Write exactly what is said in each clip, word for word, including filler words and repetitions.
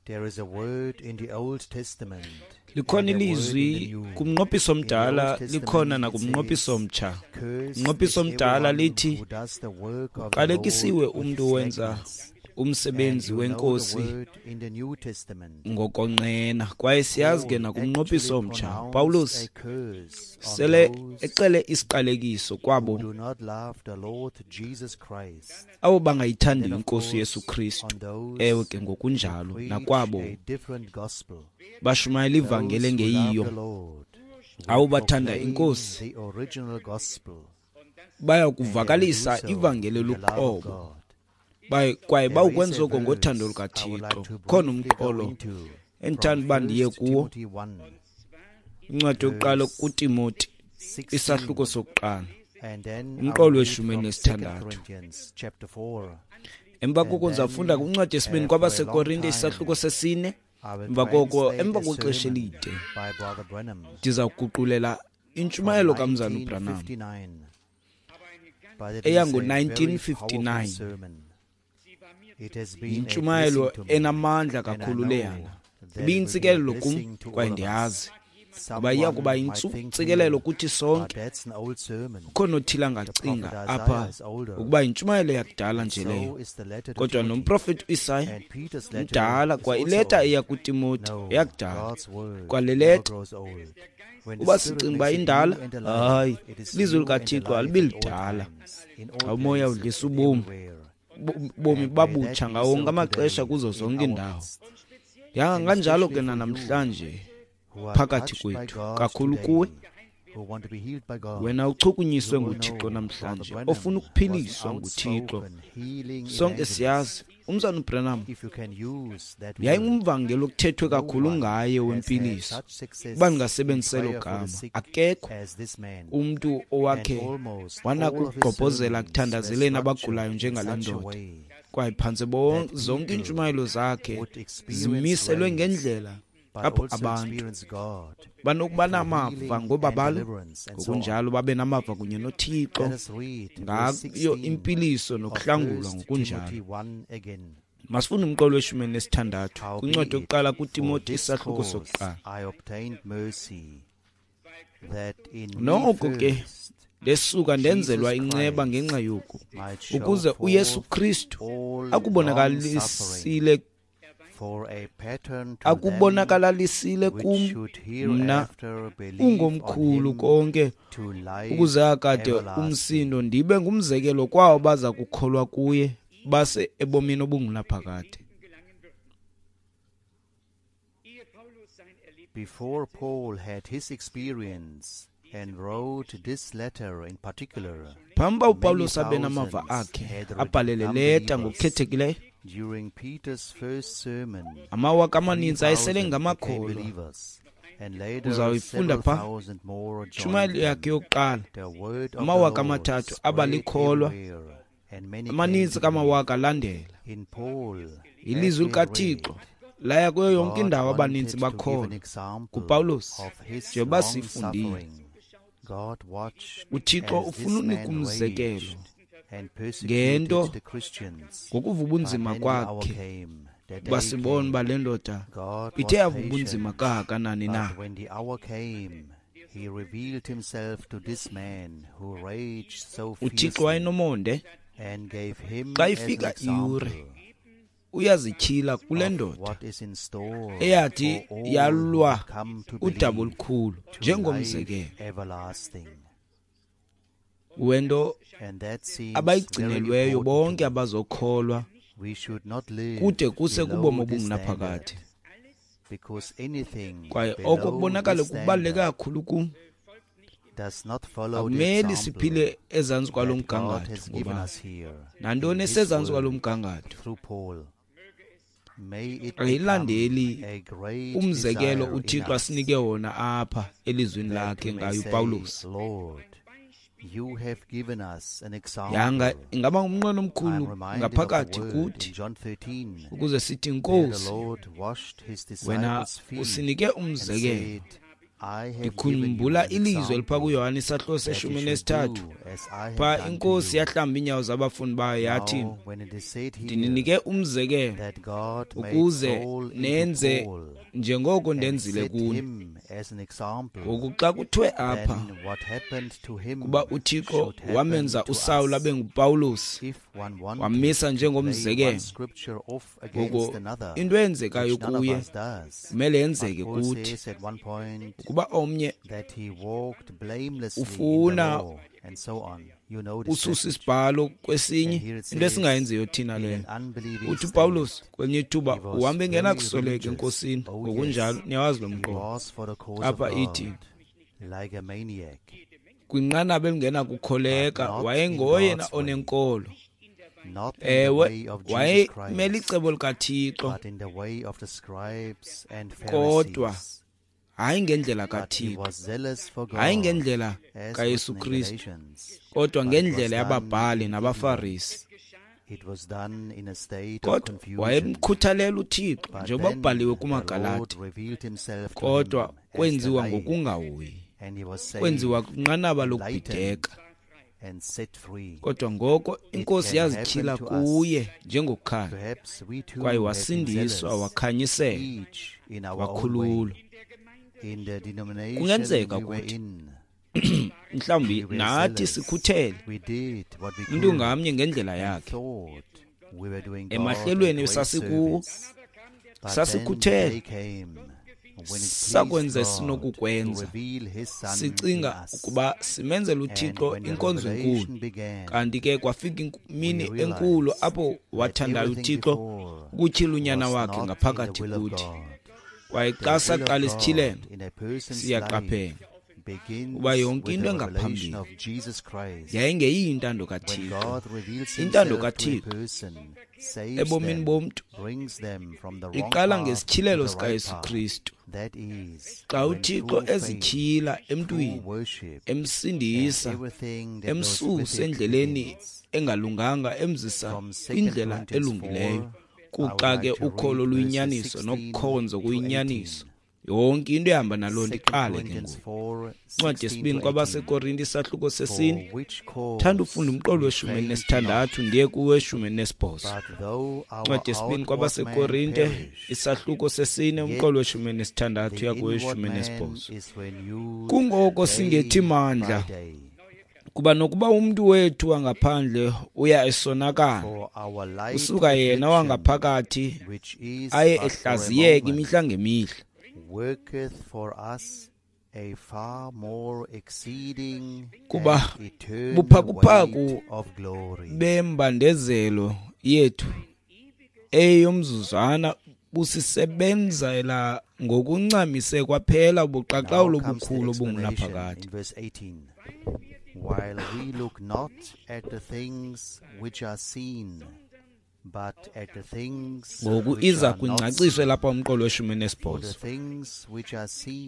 There is a word in the Old Testament. Likhona ilizwi kumnqophiso omdala, likhona nakumnqophiso omtsha. Umnqophiso omdala lithi uqalekisiwe umntu owenza umsebenzi wenkosi ngokonqena. Kwaye siyazi ke nakumnqophiso omtsha, Pawulos sele exele isiqalekiso kwabo abo bangayithandiyo inkosi Yesu Kristu. Ewe ke ngokunjalo nakwabo bashumayela ivangeli engeyiyo. Abo bathanda inkosi baya kuvakalisa ivangeli luqobo, kwaye bawukwenza oko ngothando lukaThixo. Khona umqolo endithanda uba ndiye kuwo, incwadi yokuqala kuTimoti, isahluko sokuqala, umqolo weshumi nesithandathu. Emva koko ndizawufunda kwincwadi yesibini kwabaseKorinte, isahluko sesine. Emva koko, emva kwexesha elide, ndizawuguqulela intshumayelo kaMzalwana uBranham eyango nineteen fifty-nine. Yintshumayelo enamandla kakhulu leyana. Ibiyintsikelelo kum, kwaye ndiyazi ngoba iya kuba yintsikelelo kuthi sonke. Ukhona othile angacinga apha ukuba yintshumayelo yakudala nje leyo, kodwa nomprofeti uIsaya mdala, kwa ileta eya kuTimoti eyakudala, kwale leta uba sicinga uba indala, hayi, ilizwi likaThixo alibi lidala. Xa umoya udlisa ubomi, bomi babutsha ngawo wonke amaxesha kuzo zonke iindawo. Yanga kanjalo ke namhlanje phakathi kwethu, kakhulu kuwe wena uchukunyiswe nguThixo namhlanje, ofuna ukuphiliswa nguThixo. Sonke siyazi umzalwana uBranham yayingumvangeli okuthethwe kakhulu ngaye wempiliso. Uba ndingasebenzisa elo gama, akekho umntu owakhe wanako ukugqobhozela kuthandazeleni abagulayo njengale ndoda. Kwaye phantse zonke iintshumayelo zakhe zimiselwe ngendlela apho abantu banokuba namava ngobabalo, ngokunjalo babe namava kunye noThixo ngayo impiliso nokuhlangulwa ngokunjalo. Masifunde umqolo weshumi nesithandathu kwincwadi yokuqala kuTimoti, isahluko sokuqala. Noko ke ndesuka ndenzelwa inceba ngenxa yoku, ukuze uYesu Kristu akubonakalisile akubonakalalisile kum mna ungomkhulu konke, ukuze akade umsindo ndibe ngumzekelo kwawo baza kukholwa kuye base ebomini obungunaphakade. Before Paul had his experience and wrote this letter in particular, phambi uba uPawulos abe namava akhe abhale le leta ngokukhethekileyo, during Peter's first sermon, amawaka amaninzi ayesele ngamakholwa. Uzawuyifunda pha tshumayelo yakhe yokuqala, amawaka amathathu abalikholwa, amaninzi kamawaka alandela. Ilizwi likaThixo laya kuyo yonke indawo, abaninzi bakholwa kuPawulos. Njengoba sifundile, uThixo ufuna unika umzekelo ngento ngokuva ubunzima kwakhe, uba sibone uba le ndoda ithe yava ubunzima kangakanani na. UThixo wayenomonde. Xa ifika iyure, uyazityhila kule ndoda eyathi yalwa udaba olukhulu njengomzekelo wento abayigcinelweyo bonke abazokholwa kude kuse kubomi obungunaphakade. Kwaye oko kubonakala kubaluleke kakhulu kum. Akumele siphile ezantsi kwalo mgangatho, ngoba nantoni esezantsi kwalo mgangatho ayilandeli umzekelo uThixo asinike wona apha elizwini lakhe ngayo uPawulos. Yanga ingaba ngumnqweno omkhulu ngaphakathi kuthi ukuze sithi, Nkosi, wena usinike umzekelo Ndikhumbula ilizwi elipha kuYohane isahluko seshumi nesithathu, pha inkosi yahlamba iinyawo zabafundi bayo yathi, ndininike umzekelo ukuze nenze njengoko ndenzile kuni. Ngoku xa kuthiwe apha kuba uThixo wamenza uSawuli abe nguPawulos, wamisa njengomzekelo, ngoko into eyenzekayo kuye kumele yenzeke kuthi. Ukuba omnye ufuna ususa isibhalo kwesinye, into esingayenziyo thina leyo. Uthi uPawulos kwelinye ithuba uhambe engenakusoleka enkosini, ngokunjalo niyawazi lo mqondo. Apha ithi kwinqanaba elingenakukholeka wayengoyena onenkolo. Ewe, wayemele icebo likaThixo, kodwa hayi ngendlela kaThixo, hayi ngendlela kaYesu Kristu, kodwa ngendlela yababhali nabaFarisi. Kodwa wayemkhuthalela uThixo njengoba kubhaliwe kumaGalati, kodwa kwenziwa ngokungahoyi, kwenziwa kwinqanaba lokubhideka. Kodwa ngoko inkosi yazityhila kuye njengokukhanya, kwaye wasindiswa, wakhanyisela, wakhululwa. Kungenzeka ukuthi mhlawumbi nathi sikhuthele, umuntu ngamnye ngendlela yakhe. Emahlelweni sasikuwo sasikhuthele, sakwenza esinokukwenza, sicinga ukuba simenzela uThixo inkonzo enkulu. Kanti ke kwafika imini enkulu apho wathandayo uThixo ukutyhila unyana wakhe ngaphakathi kuthi. Kwaye xa saqala isityhilelo, siyaqaphela uba yonke into engaphambili yayingeyiyo intando kaThixo. Intando kaThixo ebomini bomntu iqala ngesityhilelo sikaYesu Kristu. Xa uThixo ezityhila emntwini, emsindisa, emsusa endleleni engalunganga, emzisa kwindlela elungileyo, kuxa ke ukholo luyinyaniso nokukhonza kuyinyaniso, yonke into ehamba naloo nto iqale ke ngoku. Incwadi yesibini kwabaseKorinte isahluko sesine, thanda ufunda umqolo weshumi nesithandathu ndiye kuweshumi nesibhozo. Incwadi yesibini kwabaseKorinte isahluko sesine, umqolo weshumi nesithandathu uya kuweshumi nesibhozo. Kungoko singethi mandla, kuba nokuba umntu wethu wangaphandle uya esonakala, usuka yena wangaphakathi aye ehlaziyeka imihla ngemihla. Kuba buphakuphaku bembandezelo yethu eyomzuzwana busisebenzela ngokuncamise kwaphela ubuqaqawulo obukhulu obungunaphakade. While we look not at the things which are seen, but at the things ngoku iza kwingcaciso lapha umqolo weshumi nesibhozo.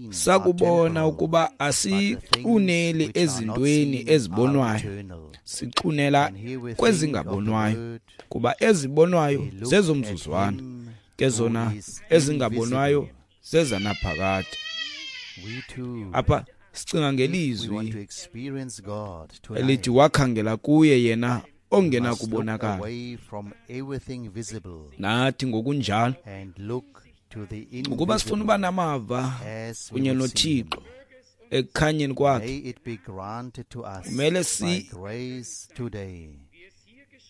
Sakubona ukuba asixuneli ezintweni ezibonwayo, sixunela kwezingabonwayo, kuba ezibonwayo zezomzuzwana, ke zona ezingabonwayo zezanaphakade. Apha sicinga ngelizwi elithi wakhangela kuye yena ongenakubonakala. Nathi ngokunjalo ukuba sifuna uba namava kunye noThixo ekukhanyeni kwakhe, kumele si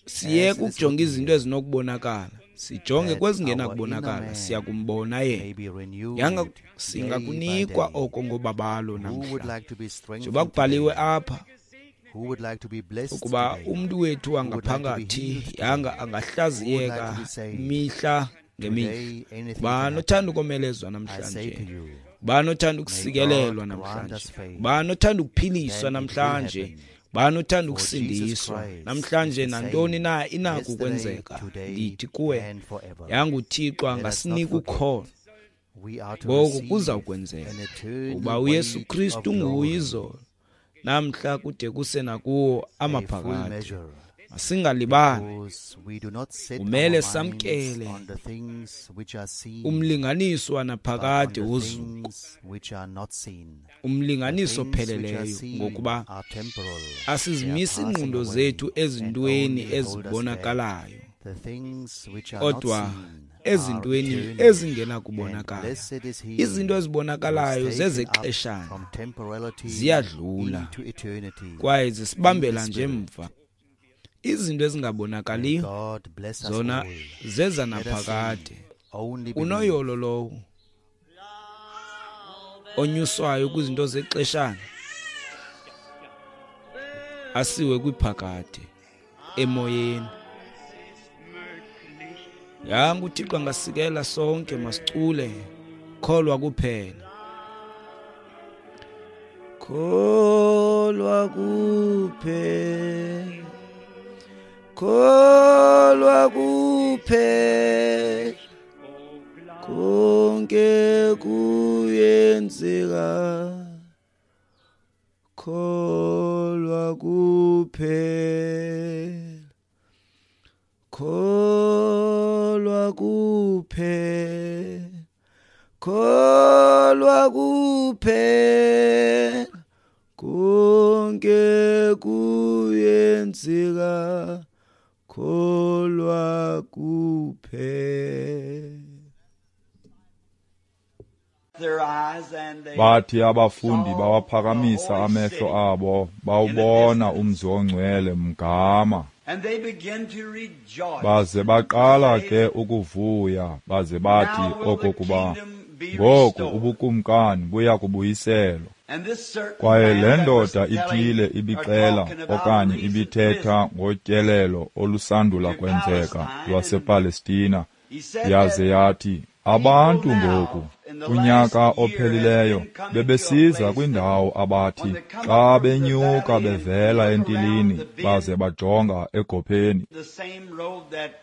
siyeke ukujonga izinto ezinokubonakala, sijonge kwezingenakubonakala, siyakumbona yena. Yanga singakunikwa oko ngobabalo namhla, njengoba kubhaliwe apha ukuba umntu wethu wangaphakathi yanga angahlaziyeka mihla ngemihla. Bani othanda ukomelezwa namhlanje? Bani othanda ukusikelelwa namhlanje? Bani othanda ukuphiliswa namhlanje? Bani othanda ukusindiswa namhlanje? Nantoni na inako ukwenzeka. Ndithi kuwe, yanga uThixo angasinika ukholo, ngoko kuza kwenzeka, kuba uYesu Kristu nguye izolo, namhla kude kuse nakuwo amaphakade. Masingalibali, Because we do not set kumele our minds samkele on the things which are seen, umlinganiso but on wanaphakade the wozuko, things which are not seen. The umlinganiso things which are opheleleyo, seen ngokuba are temporal, they are asizimisi passing iingqondo away, zethu and ezintweni only hold us back. ezibonakalayo, The things which are not kodwa seen are ezintweni eternal, and ezingenakubonakala. blessed is he Izinto who is ezibonakalayo taken up zezexeshana, from temporality ziyadlula into eternity kwaye in the zisibambela nje Spirit. mva. Izinto May ezingabonakaliyo God bless us zona all. zeza Let us naphakade. sing, only believe. Unoyolo lowo onyuswayo kwizinto zexeshana asiwe kwiphakade emoyeni. Yanga uThixo angasikela sonke, masicule kholwa kuphela. Kholwa kuphela, kholwa kuphela, konke kuyenzeka, kholwa kuphela, kholwa kuphela, kholwa kuphela, konke kuyenzeka, kholwa kuphela. Their eyes and they Bathi abafundi saw the bawaphakamisa holy amehlo city abo in the bawubona distance, umzi ongcwele mgama. and they began to rejoice Baze and baqala say, ke ukuvuya baze bathi Now will the okokuba kingdom be ngoku restored. ubukumkani buya kubuyiselwa. And this certain Kwaye le man that was ndoda telling ithile or ibixela talking about a okanye recent ibithetha visit ngotyelelo olusandula to kwenzeka Palestine, and lwasePalestina, he said yaze that yathi people abantu ngoku now in the last kunyaka year has ophelileyo been coming to a bebesiza place that kwindawo abathi when they come xa up from the benyuka valley and bevela look around entilini the bend, baze bajonga egopheni. the same road that Jesus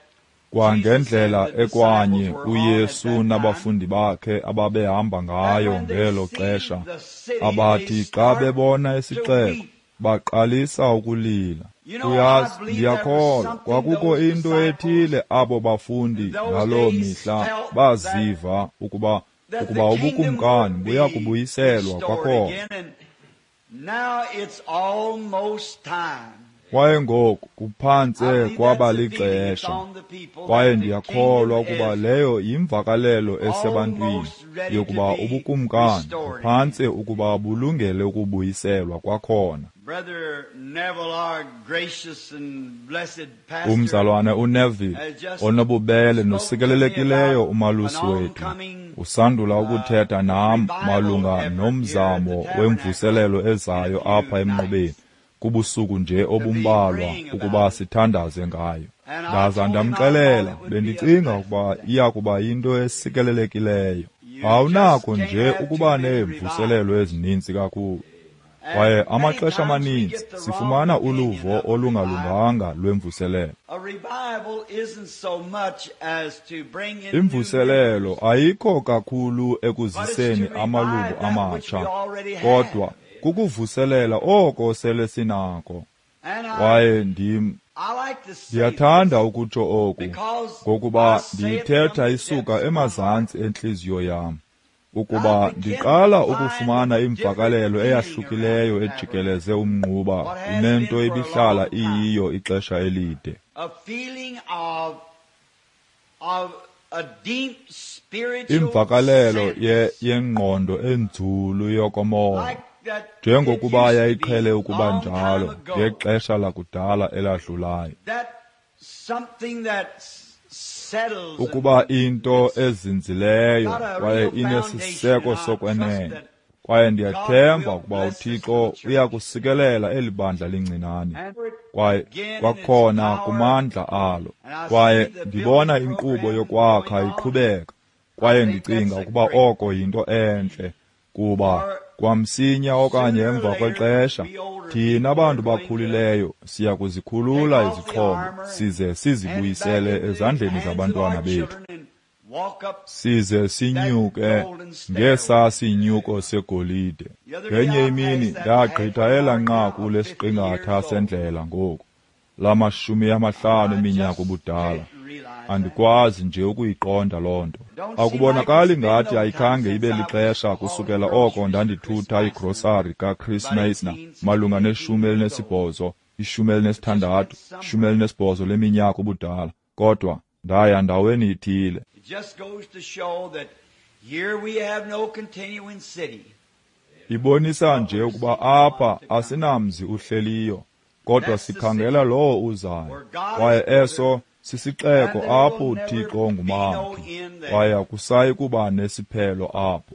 and Kwangendlela the ekwanye disciples were on at uYesu that time, nabafundi bakhe ababehamba that ngayo when they ngelo see xesha, the city, they abathi xa start bebona to isixeko weep. baqalisa ukulila. You know, I Uyazi, believe there was ndiyakholwa something kwakukho those into disciples ethile abo bafundi in those ngaloo days mihla felt that baziva ukuba that the ukuba kingdom ubukumkani would buya be kubuyiselwa restored kwakhona. again, and now it's almost time. Kwaye ngoku kuphantse I believe kwaba that's the feeling that's lixesha. on the people, Kwaye that the ndiyakholwa kingdom ukuba is leyo yimvakalelo esebantwini almost ready to yokuba be ubukumkani restored buphantse again. ukuba bulungele ukubuyiselwa kwakhona. Brother Neville, our gracious and blessed pastor, Umzalwane uNeville has just onobubele spoke to me nosikelelekileyo about an umalusi wethu oncoming usandula uh, ukuthetha nam revival malunga effort here at the nomzamo tabernacle wemvuselelo in a ezayo few apha emnqubeni nights kubusuku nje to be obumbalwa praying ukuba about it. sithandaze ngayo. And I Ndaza told him I thought ndamxelela it would be a bendicinga blessed ukuba thing. iya kuba yinto esikelelekileyo. You just Awunakho can't nje have too ukuba many neemvuselelo revivals. ezininzi kakhulu. Kwaye And many amaxesha times we amaninzi get the wrong sifumana opinion uluvo of a revival. olungalunganga lwemvuselelo. A revival isn't so much as to bring in new Imvuselelo members, ayikho kakhulu but it's to ekuziseni revive amalungu that which we amatsha, already have. kodwa kukuvuselela oko sele sinako. And I, Kwaye ndim I like to say ndiyathanda this ukutsho oku because ngokuba I say it from ndiyithetha the isuka depths of my heart. emazantsi entliziyo yam, I ukuba begin to ndiqala find ukufumana a different imvakalelo feeling around eyahlukileyo the ejikeleze tabernacle. umnquba What has kunento been for a ibihlala long time. iyiyo ixesha elide. A feeling of, of a deep spiritual Imvakalelo ye sense, yengqondo enzulu yokomoya, like that it njengokuba used to yayiqhele be ukuba long time njalo ago. ngexesha lakudala eladlulayo. That something that s- settles and Ukuba into it's ezinzileyo got a kwaye real foundation, inesiseko and I trust sokwenene. that Kwaye God ndiyathemba will ukuba bless this uThixo little church. uya kusikelela eli bandla lincinane And for it kwaye again in its kwakhona power, kumandla alo. and I see Kwaye the ndibona building inkqubo program yokwakha going on. iqhubeka, I kwaye think ndicinga that's a ukuba great oko yinto entle, kuba for kwamsinya okanye sooner or emva later kwexesha we older thina people are bantu going to bakhulileyo siya take kuzikhulula off the izixhobo armor and size hand it back sizibuyisele into the ezandleni hands of zabantwana our bethu, children and walk up size that sinyuke golden stairway. ngesa sinyuko segolide. The other day Ngenye I imini passed that ndagqitha halfway elaa mark now nqaku of fifty lesiqingatha years old. sendlela ngoku. lamashumi amahlanu eminyaka ubudala. Andikwazi nje ukuyiqonda loo nto. Akubonakali ngathi ayikhange ibe lixesha kusukela oko ndandithutha igrosari kaChris Meisner malunga neshumi elinesibhozo, ishumi elinesithandathu, ishumi elinesibhozo leminyaka ubudala. Kodwa ndaya ndaweni ithile. Ibonisa nje ukuba apha asinamzi uhleliyo, kodwa sikhangela lowo uzayo. Kwaye eso sisixeko apho uThixo ngumakhi, kwaye akusayi kuba nesiphelo apho.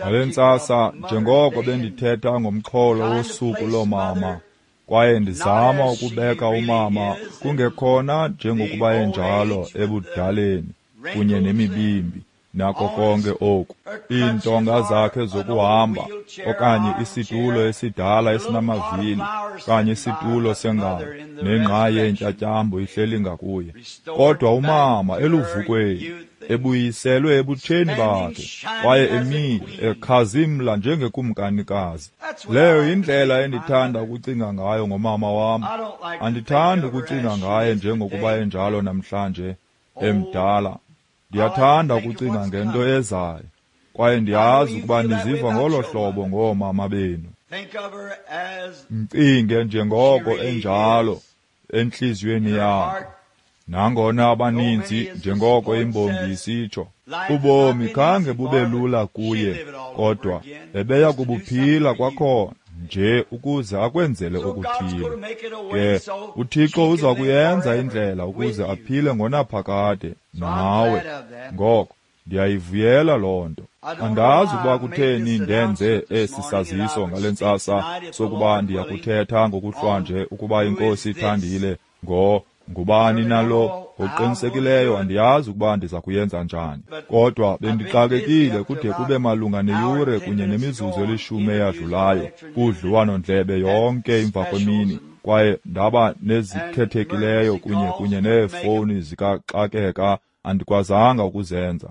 Ngale ntsasa, njengoko bendithetha ngomxholo wosuku loomama, kwaye ndizama ukubeka umama kungekhona njengokuba enjalo ebudaleni kunye nemibimbi nako konke oku, iintonga zakhe zokuhamba okanye isitulo esidala esinamavili okanye isitulo sengalo nengqayi yentyatyambo ihleli ngakuye. Kodwa umama eluvukweni, ebuyiselwe ebutsheni bakhe, kwaye emile ekhazimla njengekumkanikazi. Leyo yindlela endithanda ukucinga ngayo ngomama wam. Andithandi ukucinga ngaye njengokuba enjalo namhlanje, emdala. Ndiyathanda ukucinga ngento ezayo, kwaye ndiyazi ukuba niziva ngolo hlobo ngoomama benu. Mcinge njengoko enjalo entliziyweni yakho. Nangona abaninzi, njengoko imbongi isitsho, ubomi khange bube lula kuye, kodwa ebeya kubuphila kwakhona nje ukuze akwenzele okuthile. Ke uThixo uza kuyenza indlela ukuze aphile ngonaphakade nawe. Ngoko ndiyayivuyela loo nto. Andazi ukuba kutheni ndenze esi saziso ngale ntsasa sokuba ndiyakuthetha ngokuhlwanje ukuba iNkosi ithandile ngo ngubani nalo. Ngokuqinisekileyo andiyazi ukuba ndiza kuyenza njani, kodwa bendixakekile kude kube malunga neyure kunye nemizuzu elishumi eyadlulayo kudliwano-ndlebe yonke emva kwemini, kwaye ndaba nezikhethekileyo kunye kunye neefowuni zikaxakeka andikwazanga ukuzenza.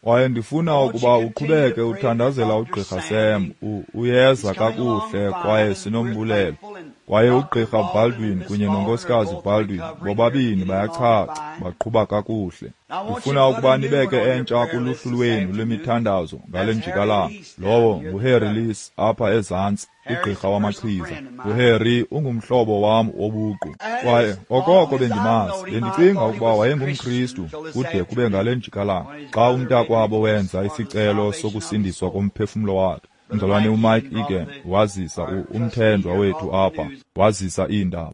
Kwaye ndifuna ukuba uqhubeke uthandazela uGqirha Sam. Uyeza kakuhle kwaye sinombulelo. Kwaye uGqirha Baldwin kunye noNkosikazi Baldwin bobabini bayachacha, baqhuba kakuhle. Ndifuna ukuba nibeke entsha kuluhlu lwenu lwemithandazo ngale njikalanga. Lowo nguHarry Lees apha ezantsi, ugqirha wamachiza. UHarry ungumhlobo wam wobuqu. Kwaye okoko bendimazi, bendicinga ukuba wayengumKristu kude kube ngale njikalanga xa umntakwabo wenza isicelo sokusindiswa komphefumlo wakhe. Umzalwane uMike Egan wazisa umthenjwa wethu apha, wazisa iindaba.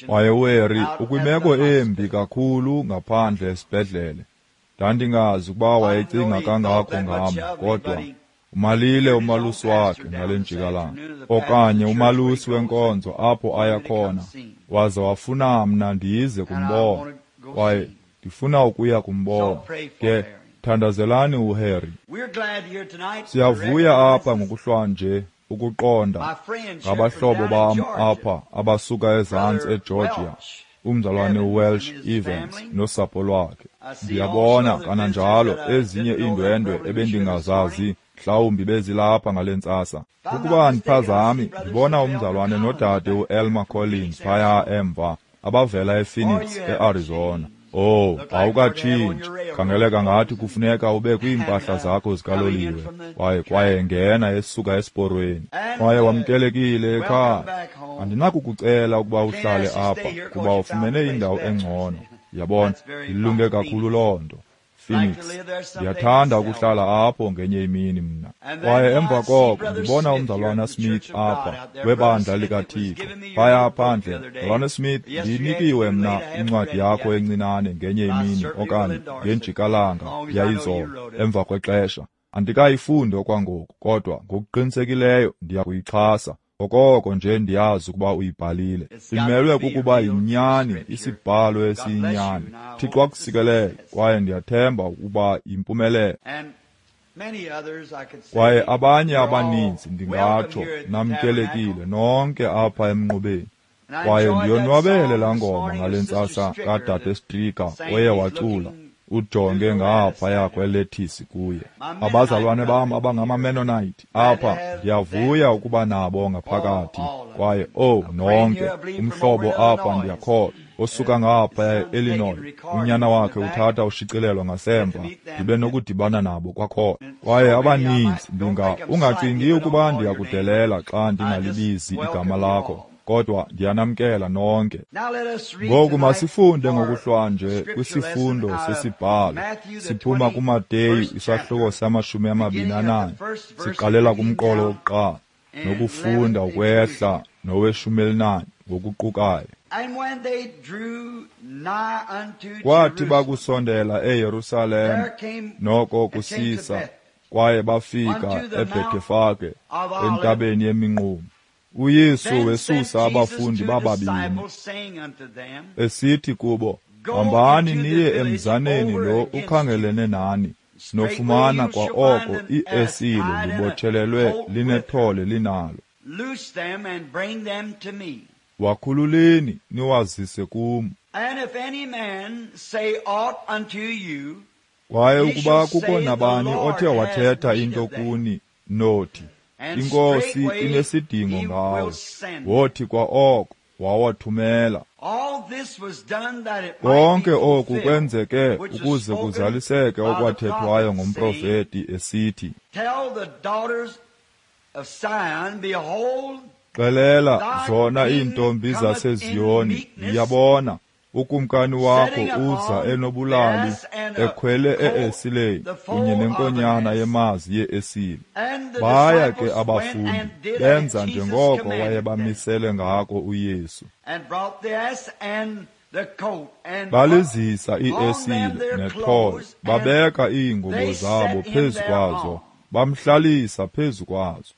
Kwaye uHarry ukwimeko embi kakhulu ngaphandle esibhedlele. Ndandingazi ukuba wayecinga kangako ngam, kodwa umalile umalusi wakhe ngale njikalanga, okanye umalusi wenkonzo apho aya khona, waze wafuna mna ndize kumbona, kwaye ndifuna ukuya kumbona. Ke thandazelani uHarry. Siyavuya apha ngokuhlwanje ukuqonda ngabahlobo bam apha abasuka ezantsi eGeorgia, umzalwane uWelsh Evans nosapho lwakhe. Ndiyabona kananjalo ezinye iindwendwe ebendingazazi, mhlawumbi bezilapha ngale ntsasa. Ukuba andiphazami, ndibona umzalwane nodade uElmer Collins phaya emva, abavela ePhoenix, eArizona. Oh, awukatshintshi. Khangeleka ngathi kufuneka ube kwiimpahla zakho zikaloliwe. Kwaye kwaye ngena esuka esiporweni. Kwaye wamkelekile ekhaya. Andinakukucela ukuba uhlale apha kuba ufumene indawo engcono. Yabona, ilunge kakhulu loo nto. Phoenix. Ndiyathanda ukuhlala apho ngenye imini mna. Kwaye emva koko ndibona umzalwana Smith apha webandla likaThixo. Phaya phandle, mzalwana Smith, ndinikiwe mna incwadi yakho encinane ngenye imini okanye ngenjikalanga yayizolo emva kwexesha. Andikayifundi okwangoku, kodwa ngokuqinisekileyo ndiyakuyixhasa. Okoko nje ndiyazi ukuba uyibhalile. Imelwe kukuba yinyani, isibhalo esiyinyani. Thixo akusikelele, kwaye ndiyathemba ukuba yimpumelelo. Kwaye abanye abaninzi ndingatsho namkelekile nonke apha emnqubeni. Kwaye ndiyonwabele laa ngoma ngale ntsasa kadade Stricker oye wacula. Ujonge ngaphaya kwelethisi kuye. Abazalwane bam abangamaMennonite apha, ndiyavuya ukuba nabo ngaphakathi. Kwaye oh nonke, umhlobo apha ndiyakholwa osuka ngaphaya e-Illinois, unyana wakhe uthatha ushicilelo ngasemva, ndibe nokudibana nabo kwakhona. Kwaye abaninzi ndinga ungacingi ukuba ndiyakudelela xa ndingalibizi igama lakho, kodwa ndiyanamkela nonke. Ngoku masifunde ngokuhlwanje kwisifundo sesibhalo. Siphuma kuMateyu isahluko samashumi amabini anane, siqalela kumqolo wokuqala nokufunda ukwehla noweshumi elinane ngokuqukayo. Kwathi bakusondela eYerusalem noko kusisa, kwaye bafika eBhethefage entabeni yeminqumo, uYesu wesusa abafundi bababini, esithi kubo, hambani niye emzaneni lo ukhangelene nani, nofumana kwa oko iesile libotshelelwe linethole linalo. Wakhululeni niwazise kum. Kwaye ukuba kukho nabani othe wathetha into kuni, nothi, iNkosi inesidingo ngawo, wothi kwa oko wawathumela. Konke oku kwenzeke ukuze kuzaliseke okwathethwayo ngomprofeti esithi, xelela zona iintombi zaseZiyoni, ndiyabona ukumkani wakho uza enobulali, ekhwele e-esileni kunye nenkonyana yemazi ye-esile. Baya ke abafundi benza njengoko wayebamisele ngako uYesu. Balizisa i-esile nethole, babeka iingubo zabo phezu kwazo, bamhlalisa phezu kwazo.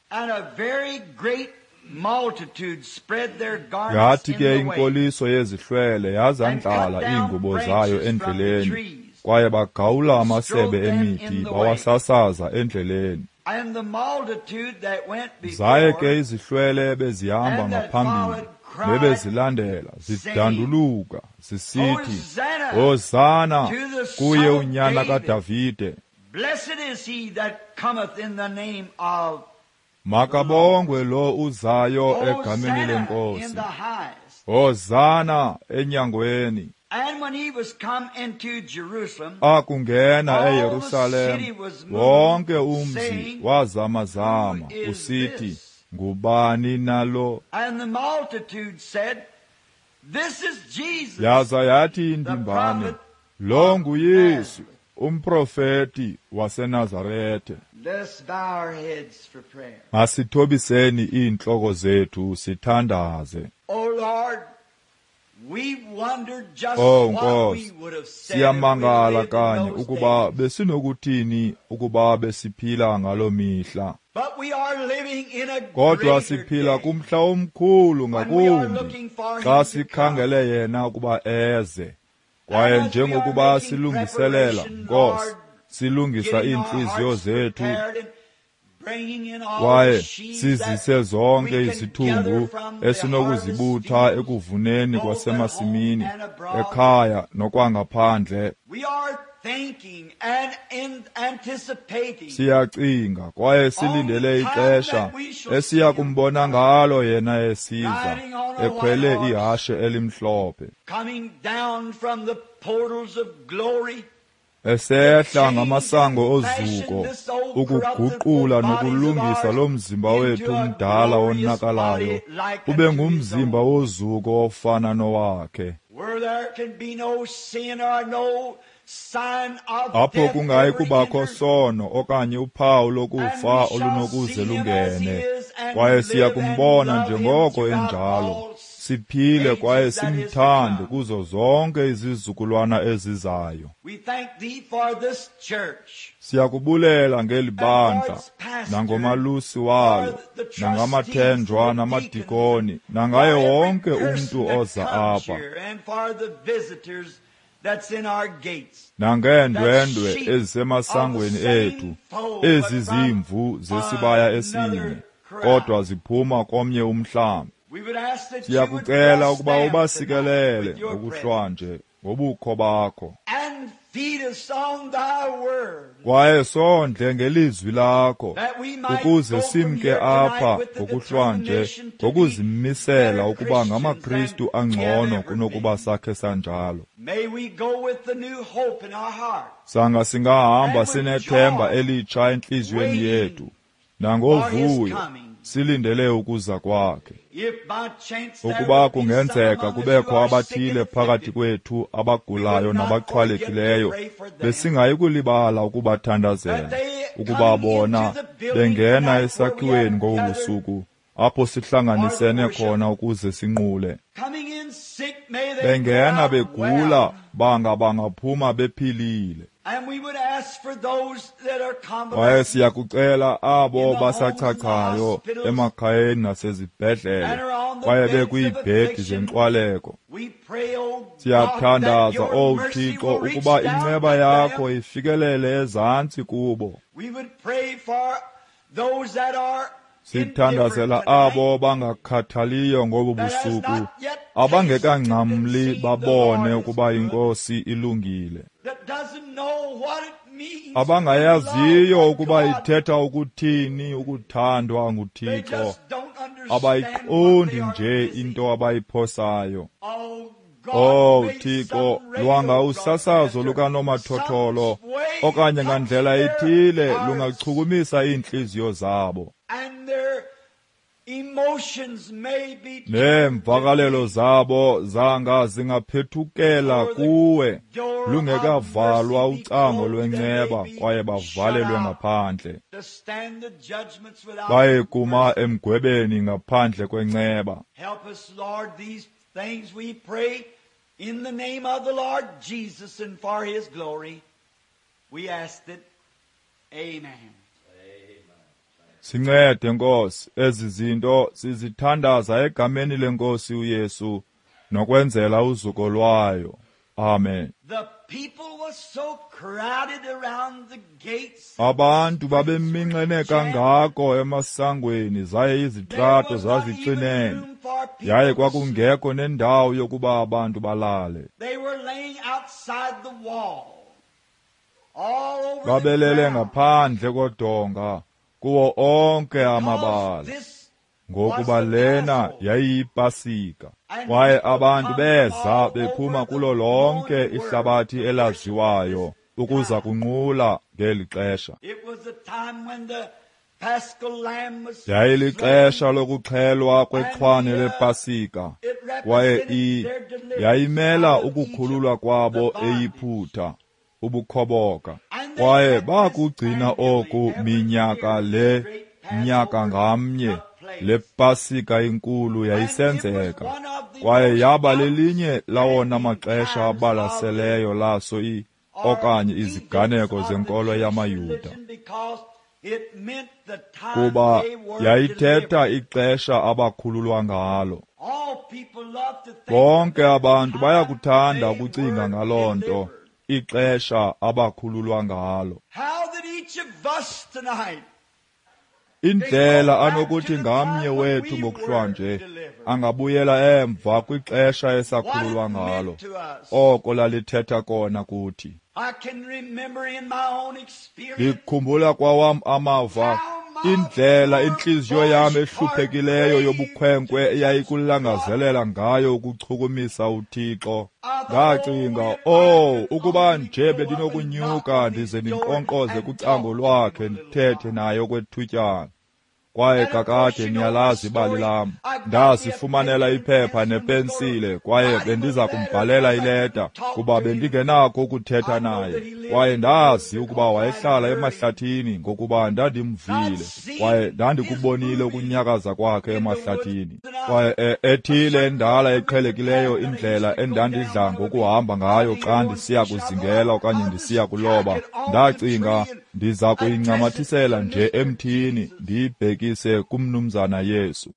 Yathi ke inkoliso yezihlwele yazandlala iingubo zayo endleleni, kwaye bagawula amasebe emithi bawasasaza endleleni. Zaye ke izihlwele bezihamba ngaphambili nebezilandela zidanduluka zisithi, Hosana kuye unyana kaDavide. Makabongwe lo uzayo egameni leNkosi. Hosana enyangweni. Akungena eYerusalem, wonke umzi wazamazama usithi, ngubani nalo? Yaza yathi indimbane, lo nguYesu, umprofeti waseNazarethe. Masithobiseni iintloko zethu sithandaze. Oh Nkosi, siyamangala kanye ukuba besinokuthini ukuba besiphila ngaloo mihla. Kodwa siphila kumhla omkhulu ngakumbi xa sikhangele yena ukuba eze. Kwaye njengokuba silungiselela, Nkosi, silungisa iintliziyo zethu kwaye sizise zonke izithungu esinokuzibutha ekuvuneni kwasemasimini, ekhaya nokwangaphandle. Siyacinga kwaye silindele ixesha esiya kumbona ngalo yena esiza ekhwele ihashe elimhlophe, esehla ngamasango ozuko ukuguqula nokulungisa lo mzimba wethu umdala wonakalayo ube ngumzimba wozuko ofana nowakhe, apho kungayi kubakho sono okanye uphawu lokufa olunokuze lungene. Kwaye siya kumbona njengoko enjalo, siphile kwaye simthande kuzo zonke izizukulwana ezizayo. Siyakubulela ngeli bandla nangomalusi walo, nangamathenjwa namadikoni, nangaye wonke umntu oza apha, nangeendwendwe ezisemasangweni ethu, ezi zimvu zesibaya esinye, kodwa ziphuma komnye umhlambi. Siyakucela ukuba ubasikelele ngokuhlwanje ngobukho bakho, Kwaye sondle ngelizwi lakho ukuze simke apha ngokuhlwanje ngokuzimisela ukuba ngamaKristu angcono kunokuba sakhe sanjalo. Sanga singahamba sinethemba elitsha entliziyweni yethu nangovuyo silindele ukuza kwakhe. Ukuba kungenzeka kubekho abathile phakathi kwethu abagulayo nabaxhwalekileyo, besingayi kulibala ukubathandazela, ukuba bona bengena esakhiweni ngobu busuku apho sihlanganisene khona ukuze sinqule. Bengena begula, banga bangaphuma bephilile. Kwaye siyakucela abo basachachayo emakhayeni nasezibhedlele kwaye bekwiibhedi zenkxwaleko. Siyathandaza, O Thixo, ukuba inceba yakho ifikelele ezantsi kubo. Sithandazela abo bangakhathaliyo ngobu busuku, abangekangcamli babone ukuba iNkosi ilungile, abangayaziyo ukuba ithetha ukuthini ukuthandwa nguThixo, abayiqondi nje into abayiphosayo. Oh Thixo, lwanga usasazo lukanomathotholo okanye ngandlela ethile lungachukumisa iintliziyo zabo neemvakalelo zabo zanga zingaphethukela kuwe lungekavalwa ucango lwenceba kwaye bavalelwe ngaphandle, baye kuma emgwebeni ngaphandle kwenceba. Things we pray in the name of the Lord Jesus and for His glory. We ask it. Amen. Sincede Nkosi, ezi zinto sizithandaza egameni leNkosi uYesu nokwenzela uzuko lwayo. Amen. The people was so crowded around the gates. Abantu babeminxene kangako emasangweni zaye izitrato zazixinene, yaye kwakungekho nendawo yokuba abantu balale. They were laying outside the wall. All over Babelele ngaphandle kodonga kuwo onke amabala, ngokuba lena yayiyipasika. Kwaye abantu beza bephuma kulo lonke ihlabathi elaziwayo ukuza kunqula ngeli xesha. Yayilixesha lokuxhelwa kwexhwane lepasika, kwaye i yayimela ukukhululwa kwabo eYiputa, ubukhoboka. Kwaye bakugcina oku minyaka le, nyaka ngamnye. Le pasika inkulu yayisenzeka, kwaye yaba lelinye lawona maxesha abalaseleyo laso i okanye iziganeko zenkolo yamaYuda, kuba yayithetha ixesha abakhululwa ngalo. Bonke abantu bayakuthanda ukucinga ngaloo nto, ixesha abakhululwa ngalo. Indlela anokuthi ngamnye wethu ngokuhlwanje angabuyela emva kwixesha esakhululwa ngalo, oko lalithetha kona kuthi. Ndikhumbula kwawam amava, indlela intliziyo yam ehluphekileyo yobukhwenkwe eyayikulangazelela ngayo ukuchukumisa uThixo. Ndacinga, oh, ukuba nje bendinokunyuka ndize ndinkqonkqoze kucango lwakhe ndithethe naye okwethutyana. Kwaye kakade niyalazi ibali lam. Ndazifumanela iphepha nepensile kwaye bendiza kumbhalela ileta kuba bendingenakho ukuthetha naye. Kwaye ndazi ukuba wayehlala emahlathini ngokuba ndandimvile kwaye ndandikubonile ukunyakaza kwakhe emahlathini. Kwaye ethile endala eqhelekileyo indlela endandidla ngokuhamba ngayo xa ndisiya kuzingela okanye ndisiya kuloba, ndacinga ndiza kuyincamathisela nje emthini ndiyibhekise kumnumzana Yesu.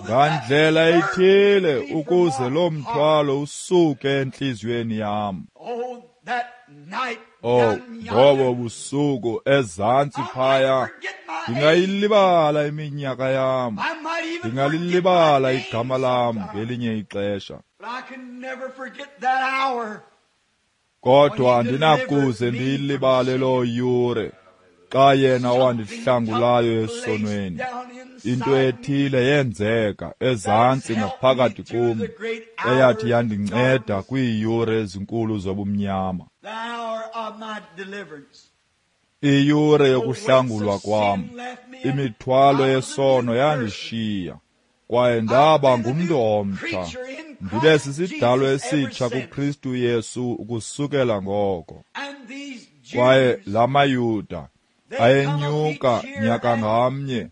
Ngandlela ethile ukuze lo mthwalo usuke entliziyweni yam. Oh, ngobo busuku ezantsi phaya, ndingayilibala iminyaka yam, ndingalilibala igama lam ngelinye ixesha. Kodwa andinakuze ndiyilibale loo yure xa yena wandihlangulayo esonweni. Into ethile yenzeka ezantsi ngaphakathi kum eyathi yandinceda kwiiyure ezinkulu zobumnyama. Iyure yokuhlangulwa kwam, imithwalo yesono yandishiya, kwaye ndaba ngumntu omtsha. Ndibe sisidalwa esitsha kuKristu Yesu ukusukela ngoko. Kwaye la maYuda ayenyuka nyaka ngamnye,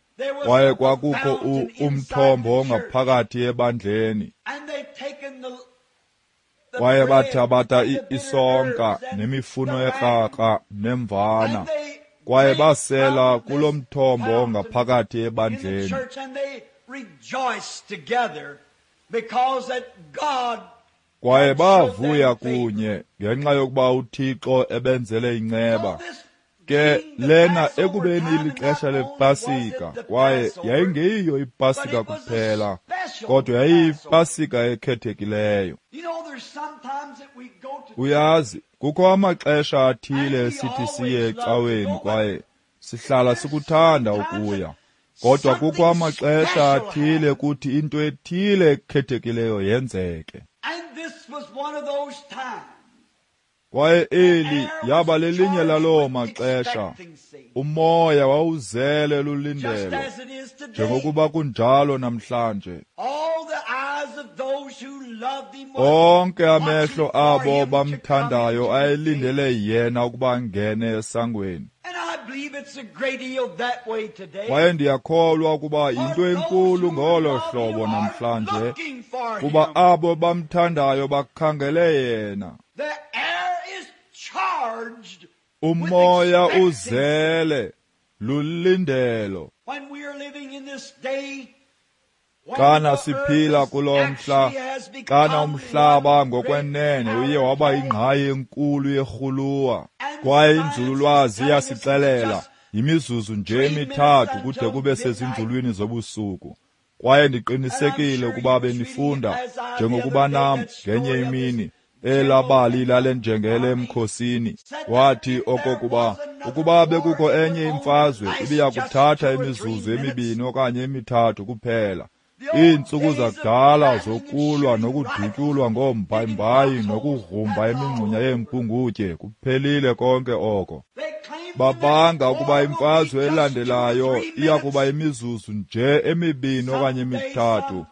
kwaye kwakukho umthombo ongaphakathi ebandleni. Kwaye bathabatha isonka nemifuno ekrakra nemvana, kwaye basela kulo mthombo ongaphakathi ebandleni. Kwaye bavuya kunye ngenxa yokuba uThixo ebenzele inceba. Ke lena ekubeni ilixesha lePasika, kwaye yayingeyiyo iPasika kuphela, kodwa yayiyipasika ekhethekileyo. Uyazi, kukho amaxesha athile esithi siye ecaweni kwaye sihlala sikuthanda ukuya. Kodwa kukho amaxesha athile kuthi into ethile ekhethekileyo yenzeke. Kwaye eli yaba lelinye laloo maxesha. Umoya wawuzele lulindelo, njengokuba kunjalo namhlanje. Onke amehlo abo bamthandayo ayelindele yena ukuba angene esangweni. Kwaye ndiyakholwa ukuba yinto enkulu ngolo hlobo namhlanje, kuba abo bamthandayo bakhangele yena. Umoya uzele lulindelo. Xana siphila kulo mhla, xana umhlaba ngokwenene uye waba yingqayi enkulu yerhuluwa, kwaye inzululwazi iyasixelela yimizuzu nje emithathu kude kube sezinzulwini zobusuku. Kwaye ndiqinisekile ukuba benifunda njengokuba nam ngenye imini elabali lalenjengele emkhosini, wathi okokuba ukuba bekukho enye imfazwe ibiya kuthatha imizuzu emibini okanye emithathu kuphela. Iintsuku zakudala zokulwa nokudutyulwa ngoombhayimbayi nokugrumba imingxunya yeempungutye kuphelile konke oko. Babanga ukuba imfazwe elandelayo iya kuba imizuzu nje emibini okanye emithathu.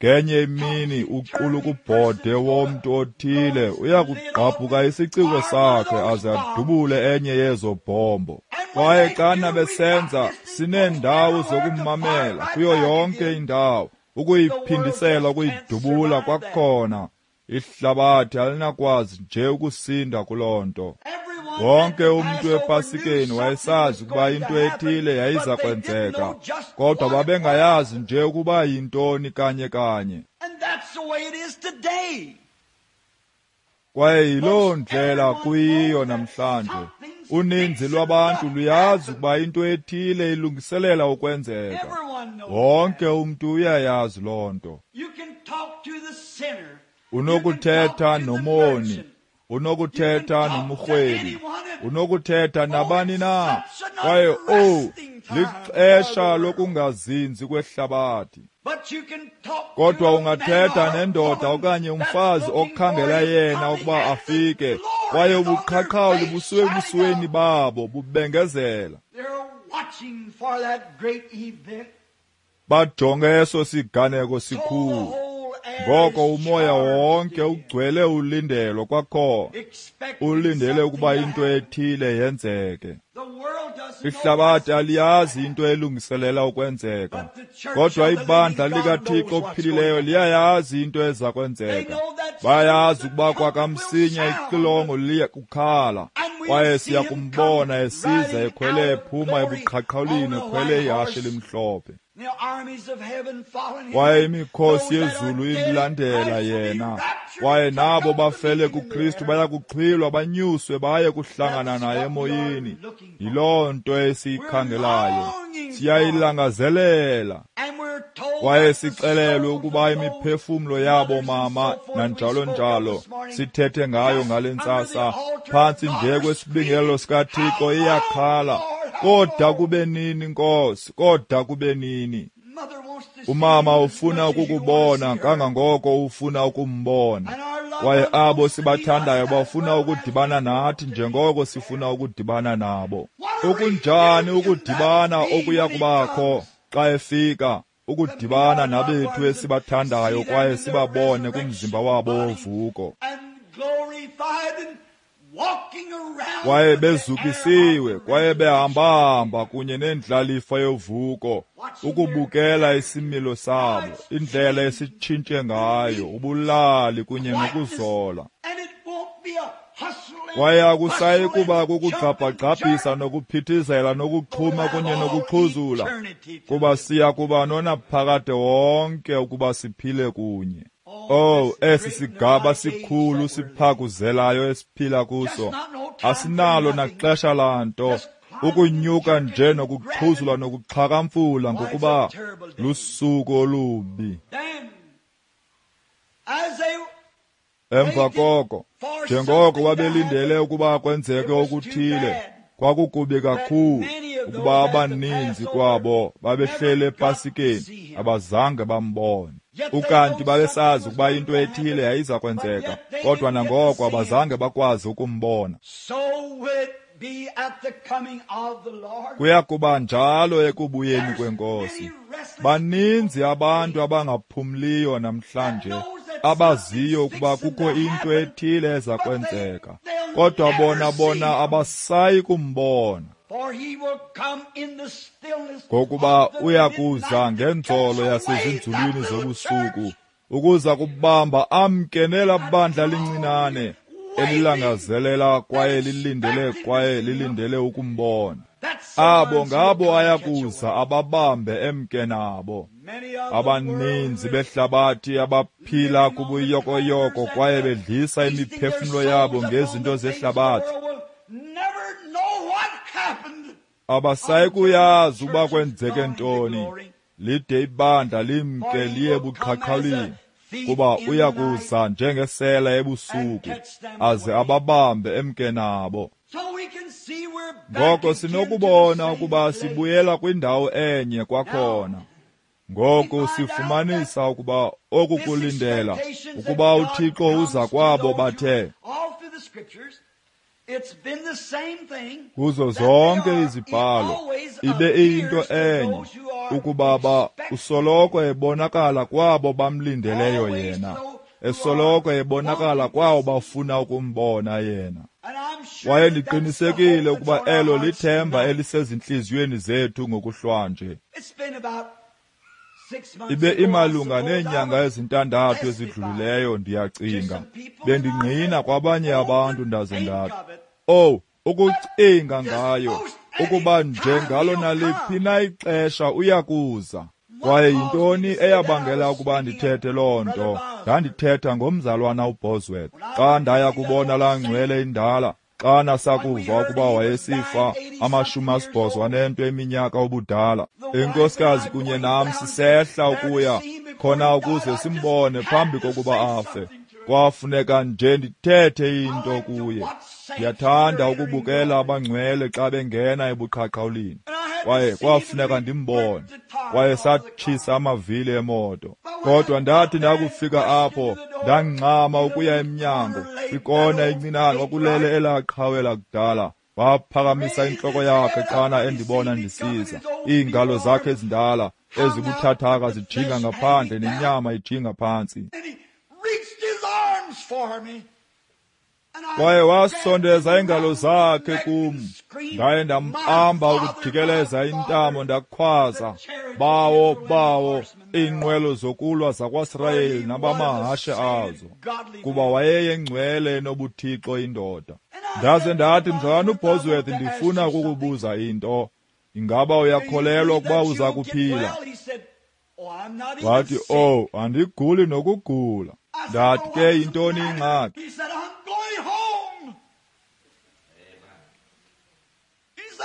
Ngenye imini uqulukubhode womntu othile uya kugqabhuka isiciko sakhe aze adubule enye yezo bhombo. Kwaye xana besenza, sineendawo zokumamela kuyo yonke indawo, ukuyiphindisela ukuyidubula kwakhona. Ihlabathi alinakwazi nje ukusinda kuloo nto. Wonke umntu ePasikeni wayesazi ukuba into ethile yayiza kwenzeka, kodwa babengayazi nje ukuba yintoni kanye kanye. Kwaye yiloo ndlela kuyiyo namhlanje. Uninzi lwabantu luyazi ukuba into ethile ilungiselela ukwenzeka. Wonke umntu uyayazi loo nto. Unokuthetha nomoni, unokuthetha nomrhwebi, unokuthetha nabani na. Kwaye oh, lixesha lokungazinzi kwehlabathi. Kodwa ungathetha nendoda okanye umfazi okhangela yena ukuba afike, kwaye ubuqhaqhawuli busuke ebusweni babo bubengezela. Bajonge eso siganeko sikhulu. Ngoko umoya wonke ugcwele ulindelo kwakhona, ulindele ukuba into ethile yenzeke. Ihlabathi aliyazi into elungiselela ukwenzeka, kodwa ibandla likaThixo ophilileyo liyayazi into eza kwenzeka. Bayazi ukuba kwakamsinya ixilongo liya kukhala, kwaye siya kumbona esiza ekhwele ephuma ebuqhaqhawulini ekhwele ihashe elimhlophe. Kwaye imikhosi yezulu imlandela yena, kwaye nabo bafele kuKristu baya kuxhwilwa banyuswe baye kuhlangana naye emoyeni. Yiloo nto esiyikhangelayo, siyayilangazelela. Kwaye sixelelwe ukuba imiphefumlo yabo mama nanjalo njalo sithethe ngayo ngale ntsasa phantsi nje kwesibingelelo sikaThixo iyakhala, koda kube nini Nkosi, koda kube nini. Umama ufuna ukukubona kangangoko ufuna ukumbona, kwaye abo sibathandayo bafuna ukudibana nathi njengoko sifuna ukudibana nabo. Okunjani ukudibana okuya kubakho xa efika, ukudibana nabethu esibathandayo kwaye sibabone kumzimba wabo wovuko, kwaye bezukisiwe kwaye behambahamba kunye nendlalifa yovuko, ukubukela isimilo sabo, indlela esitshintshe ngayo, ubulali kunye nokuzola. Kwaye akusayi kuba kukugqabhagqabhisa nokuphithizela nokuxhuma kunye nokuxhuzula, kuba siya kuba nonaphakade wonke ukuba siphile kunye. Oh, esi sigaba sikhulu siphakuzelayo esiphila kuso, asinalo naxesha lanto, ukunyuka nje nokuxhuzula nokuxhakamfula, ngokuba lusuku olubi. Emva koko, njengoko babelindele ukuba kwenzeke okuthile, kwakukubi kakhulu ukuba abaninzi kwabo babehlele ePasikeni abazange bambone. Ukanti babesazi ukuba into ethile yayiza kwenzeka, kodwa nangoko abazange bakwazi ukumbona. Kuya kuba njalo ekubuyeni kweNkosi. Baninzi abantu abangaphumliyo namhlanje, abaziyo ukuba kukho into ethile eza kwenzeka, kodwa bona bona abasayi kumbona, ngokuba uya kuza ngenzolo yasezinzulwini zobusuku ukuza kubamba amke nela bandla lincinane elilangazelela kwaye lilindele kwaye lilindele ukumbona. Abo ngabo ayakuza ababambe emke nabo. Abaninzi behlabathi abaphila kubuyokoyoko kwaye bedlisa imiphefumlo yabo ngezinto zehlabathi, abasayi kuyazi ukuba kwenzeke ntoni lide ibandla limke liye buqhaqhawulini, kuba uya kuza njengesela ebusuku aze ababambe emke nabo. Ngoko sinokubona ukuba sibuyela kwindawo enye kwakhona. Ngoku sifumanisa ukuba oku kulindela ukuba uThixo uza kwabo bathe kuzo zonke izibhalo ibe iyinto enye, ukuba ba usoloko ebonakala kwabo bamlindeleyo yena, esoloko ebonakala kwabo bafuna ukumbona yena. Kwaye ndiqinisekile ukuba elo lithemba elisezintliziyweni zethu ngokuhlwanje. Ibe imalunga neenyanga ezintandathu ezidlulileyo, ndiyacinga, bendingqina kwabanye abantu ndaze ndathi, oh, ukucinga ngayo, ukuba njengalo naliphi na ixesha uyakuza. Kwaye yintoni eyabangela ukuba ndithethe loo nto? Ndandithetha ngomzalwana uBosworth. Xa ndaya kubona laa ngcwele indala, xa nasakuva ukuba wayesifa amashumi asibhozo anento eminyaka ubudala, inkosikazi kunye nam sisehla ukuya khona ukuze simbone phambi kokuba afe. Kwafuneka nje ndithethe into kuye. Ndiyathanda ukubukela abangcwele xa bengena ebuqhaqhawulini, kwaye kwafuneka ndimbone. Kwaye satshisa amavili emoto, kodwa ndathi ndakufika apho ndangxama ukuya emnyango. Kwikona encinane kwakulele elaa qhawe lakudala. Waphakamisa intloko yakhe xana endibona ndisiza, iingalo zakhe ezindala ezibuthathaka zijinga ngaphandle nenyama ijinga phantsi. Kwaye wasondeza iingalo zakhe kum, ndaye ndambamba ukujikeleza intamo, ndakhwaza, bawo, bawo, iinqwelo zokulwa zakwaSirayeli nabamahashe azo, kuba wayeyengcwele enobuthixo indoda. Ndaze ndathi, mzalwana uBosworth, ndifuna ukukubuza into. Ingaba uyakholelwa ukuba uza kuphila? Wathi, oh, andiguli nokugula. Ndathi ke, yintoni ingxaki?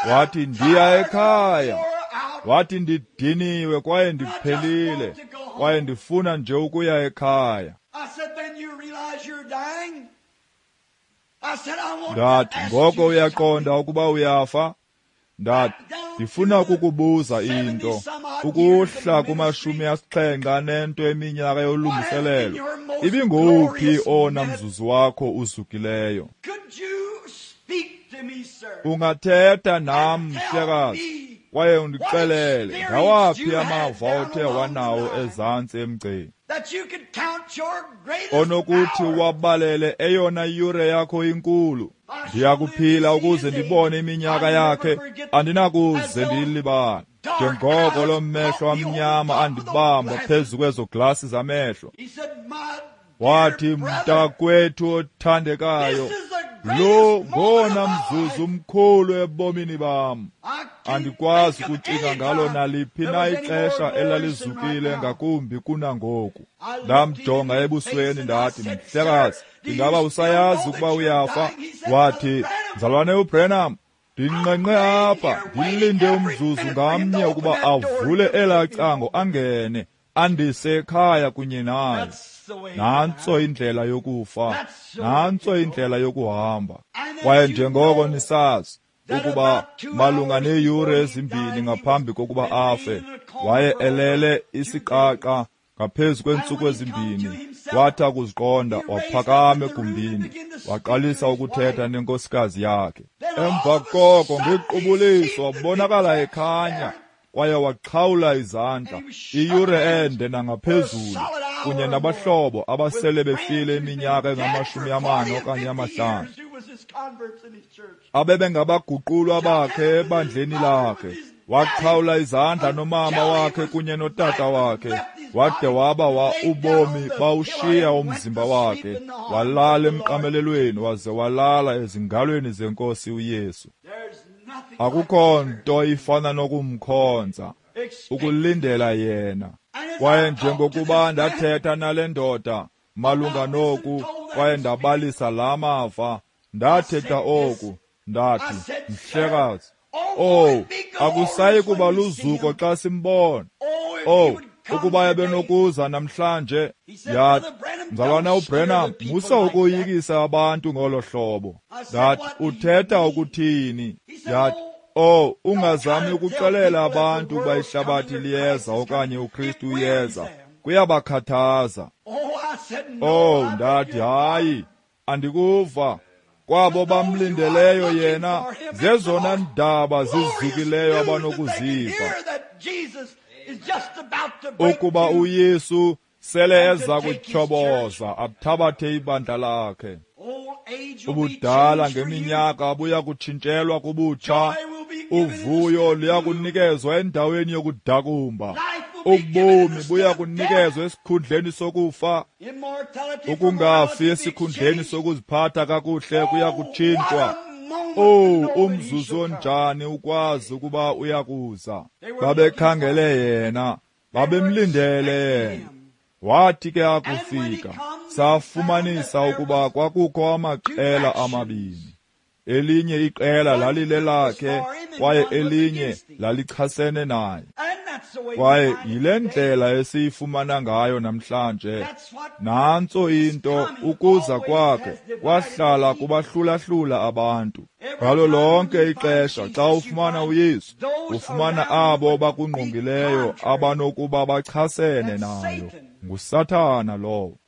Wathi, ndiya ekhaya. Wathi, ndidiniwe kwaye ndiphelile, kwaye ndifuna nje ukuya ekhaya. Ndathi, ngoko uyaqonda ukuba uyafa? Ndathi, ndifuna ukukubuza into. Ukuhla kumashumi asixhenxe anento eminyaka yolungiselelo, ibingowuphi owona mzuzu wakho uzukileyo? Ungathetha nam, mhlekazi, kwaye undixelele ngawaphi amava othe wanawo ezantsi emgceni onokuthi wabalele eyona yure yakho inkulu. Ndiyakuphila ukuze ndibone iminyaka yakhe, andinakuze ndiyilibale. Njengoko loo mehlo amnyama andibamba phezu kwezo glasi zamehlo, wathi, mntakwethu othandekayo, lo ngowona mzuzu umkhulu ebomini bam. Andikwazi ukucinga ngalo naliphi na ixesha elalizukile ngakumbi kunangoku. Ndamjonga ebusweni ndathi, mhlekazi, ingaba usayazi ukuba uyafa? Wathi, mzalwane uBranham, ndinqenqe apha, ndilinde umzuzu ngamnye ukuba avule elaa cango angene, andise ekhaya kunye naye. Nantso indlela yokufa, nantso indlela yokuhamba. Kwaye njengoko nisazi ukuba malunga neeyure ezimbini ngaphambi kokuba afe, waye elele isiqaqa ngaphezu kweentsuku ezimbini. Wathi akuziqonda, waphakama egumbini, waqalisa ukuthetha nenkosikazi yakhe. Emva koko ngequbuliso wabonakala ekhanya, kwaye waxhawula izandla iyure ende nangaphezulu, kunye nabahlobo abasele befile iminyaka engamashumi amane okanye amahlanu, abebengabaguqulwa bakhe ebandleni lakhe. Waxhawula izandla nomama wakhe kunye notata wakhe, wade waba wa ubomi bawushiya umzimba wakhe, walala emqamelelweni, waze walala ezingalweni zenkosi uYesu. Akukho nto ifana nokumkhonza, ukulindela yena. Kwaye njengokuba ndathetha nale ndoda malunga noku, kwaye ndabalisa la mava, ndathetha oku, ndathi, mhlekazi, oh, akusayi kuba luzuko xa simbona. Oh, ukuba ebenokuza namhlanje. Yathi, mzalwana uBranham, musa ukoyikisa abantu ngolo hlobo. Ndathi, uthetha ukuthini? Yathi, oh, ungazami ukuxelela abantu ukuba ihlabathi liyeza okanye uKristu uyeza, kuyabakhathaza. Oh, ndathi, hayi, andikuva. Kwabo bamlindeleyo yena, zezona ndaba zizukileyo abanokuziva, ukuba uYesu sele eza kutyhoboza athabathe ibandla lakhe. Ubudala ngeminyaka buya kutshintshelwa kubutsha, uvuyo luya kunikezwa endaweni yokudakumba, ubomi buya kunikezwa esikhundleni sokufa, ukungafi esikhundleni sokuziphatha kakuhle kuya kutshintshwa. Oh, umzuzu onjani ukwazi ukuba uyakuza. Babekhangele yena, babemlindele yena. Wathi ke akufika, safumanisa ukuba kwakukho amaqela amabini. Elinye iqela lalilelakhe, kwaye elinye lalichasene naye. Kwaye yile ndlela esiyifumana ngayo namhlanje. Nantso into, ukuza kwakhe kwahlala kubahlulahlula abantu. Ngalo lonke ixesha xa ufumana uYesu, ufumana abo bakungqongileyo abanokuba bachasene nayo. NguSathana lowo.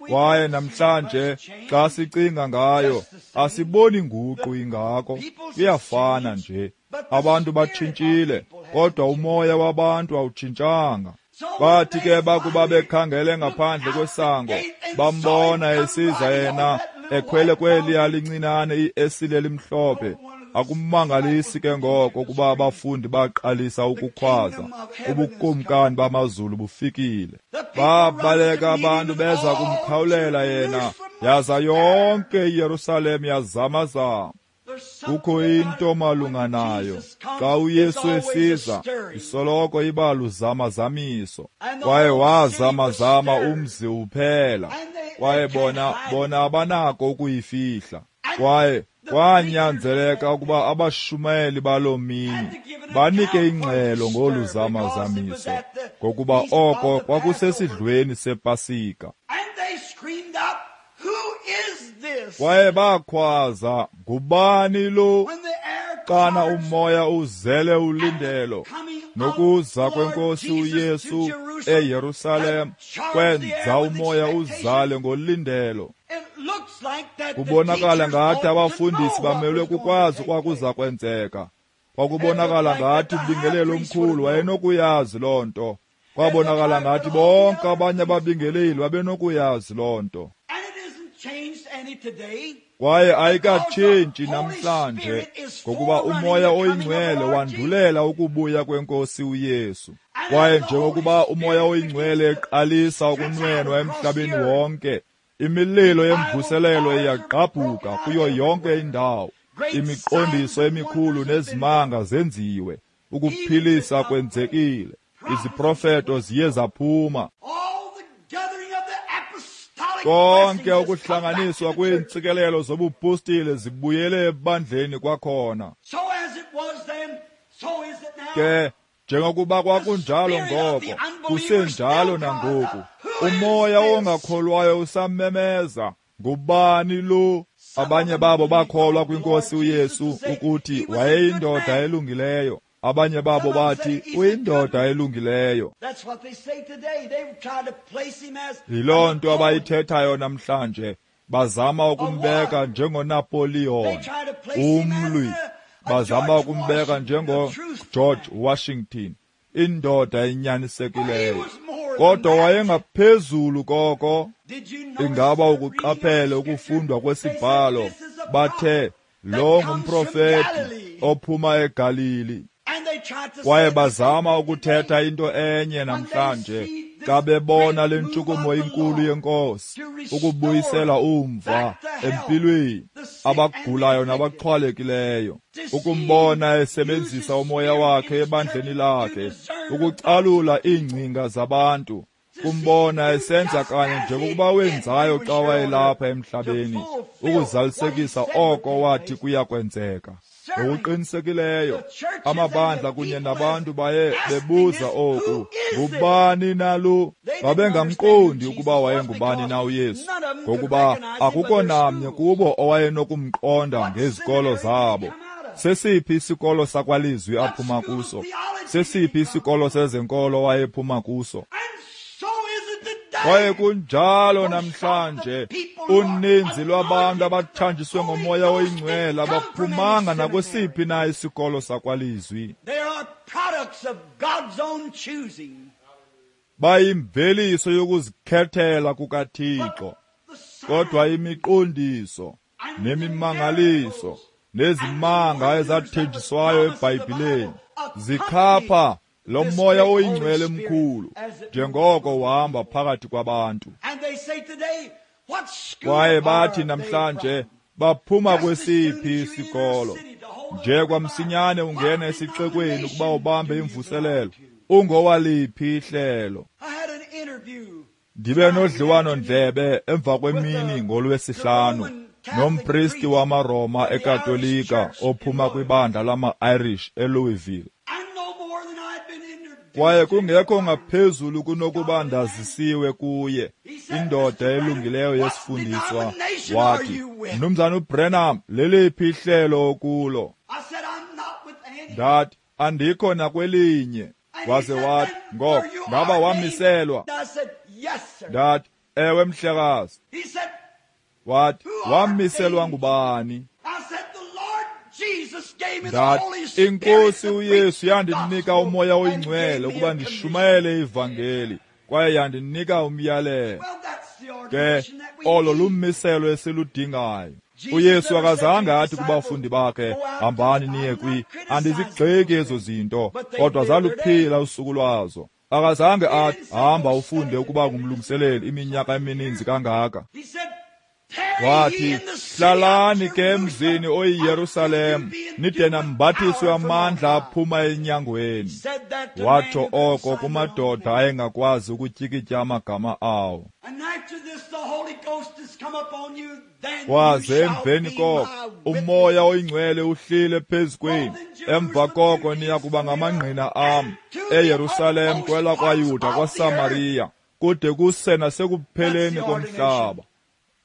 Kwaye namhlanje xa sicinga ngayo, asiboni nguqu ingako, kuyafana nje. Abantu batshintshile, kodwa umoya wabantu awutshintshanga. Bathi ke bakuba bekhangele ngaphandle kwesango, bambona esiza yena ekhwele kweliya lincinane iesile elimhlophe. Akumangalisi ke ngoko ukuba abafundi baqalisa ukukhwaza, ubukumkani bamazulu bufikile. Babaleka abantu beza kumkhawulela yena, yaza yonke iYerusalem yazamazama. Kukho into malunga nayo. Xa uYesu esiza, isoloko iba luzamazamiso. Kwaye wazamazama umzi uphela, kwaye bona bona abanako ukuyifihla. Kwaye Kwanyanzeleka ukuba abashumayeli baloo mini banike ingxelo ngolu zamazamiso, ngokuba oko kwakusesidlweni sePasika. Kwaye bakhwaza, ngubani lo? Xana umoya uzele ulindelo nokuza kwenkosi uYesu eYerusalem kwenza umoya uzale ngolindelo. Kubonakala ngathi abafundisi bamelwe kukwazi okwakuza kwenzeka. Kwakubonakala ngathi umbingeleli omkhulu wayenokuyazi loo nto. Kwabonakala ngathi bonke abanye ababingeleli babenokuyazi loo nto. Kwaye ayikatshintshi namhlanje, ngokuba umoya oyingcwele wandulela ukubuya kwenkosi uYesu. Kwaye njengokuba umoya oyingcwele eqalisa ukunwenwa emhlabeni wonke, imililo yemvuselelo iyagqabhuka kuyo yonke indawo. Imiqondiso emikhulu nezimanga zenziwe, ukuphilisa kwenzekile, iziprofeto ziye zaphuma. Konke ukuhlanganiswa kweentsikelelo zobupostile zibuyele ebandleni kwakhona. Ke njengokuba kwakunjalo ngoko, kusenjalo nangoku. Umoya ongakholwayo usamemeza, ngubani lo? Abanye babo bakholwa kwinkosi uYesu ukuthi wayeyindoda elungileyo. Abanye babo bathi uyindoda elungileyo. Yiloo nto abayithethayo namhlanje. Bazama ukumbeka njengoNapoleon, umlwi. Bazama ukumbeka njengoGeorge Washington, indoda enyanisekileyo. Kodwa wayengaphezulu koko. Ingaba ukuqaphele ukufundwa kwesibhalo? Bathe lo ngumprofeti ophuma eGalili. Kwaye bazama ukuthetha into enye namhlanje xa bebona le ntshukumo inkulu yenkosi ukubuyisela umva empilweni abagulayo nabaxhwalekileyo, ukumbona esebenzisa umoya wakhe ebandleni lakhe ukucalula iingcinga zabantu, kumbona esenza kanye njengokuba wenzayo xa wayelapha emhlabeni, ukuzalisekisa oko wathi kuya kwenzeka. Ngokuqinisekileyo amabandla kunye nabantu baye bebuza oku, ngubani na lo? Babengamqondi ukuba wayengubani na uYesu, ngokuba akukho namnye kubo owayenokumqonda ngezikolo zabo. Sesiphi isikolo sakwalizwi aphuma kuso? Sesiphi isikolo sezenkolo wayephuma kuso? Kwaye kunjalo namhlanje, uninzi lwabantu abathanjiswe ngomoya oyingcwele abaphumanga nakwesiphi na isikolo sakwalizwi. Bayimveliso yokuzikhethela kukaThixo. Kodwa imiqondiso nemimangaliso nezimanga ezathenjiswayo eBhayibhileni zikhapha lo moya oyingcwele mkhulu njengoko uhamba phakathi kwabantu. Kwaye bathi namhlanje baphuma kwesiphi isikolo? Nje kwamsinyane ungena esixekweni ukuba ubambe imvuselelo, ungowaliphi ihlelo? Ndibe nodliwano-ndlebe emva kwemini ngolwesihlanu nompristi wamaRoma eKatolika ophuma kwibandla lama-Irish eLouisville. Kwaye kungekho ngaphezulu kunokuba ndazisiwe kuye, indoda elungileyo yesifundiswa, wathi, Mnumzana uBrenham, leliphi ihlelo okulo? Ndathi, andikho nakwelinye. Waze wathi, ngoko, ngaba wamiselwa? Ndathi, ewe mhlekazi. Wathi, wamiselwa ngubani? Ndathi, inkosi uYesu yandinika umoya oyingcwele ukuba ndishumayele ivangeli, kwaye yandinika umyalelo. Ke olo lummiselo esiludingayo. uYesu akazange athi kubafundi bakhe, hambani niye kwi, andizigxeki ezo zinto, kodwa zaluphila usuku lwazo. Akazange athi, hamba ufunde ukuba ngumlungiseleli iminyaka emininzi kangaka. Wathi, hlalani ke emzini oyiYerusalem, nide nambathiswe amandla aphuma enyangweni. Watsho oko kumadoda ayengakwazi ukutyikitya amagama awo. Kwaze emveni koko uMoya oyiNgcwele uhlile phezu kwenu, emva koko niya kuba ngamangqina am eYerusalem, kwelakwaYuda, kwaSamariya, kude kuse nasekupheleni komhlaba.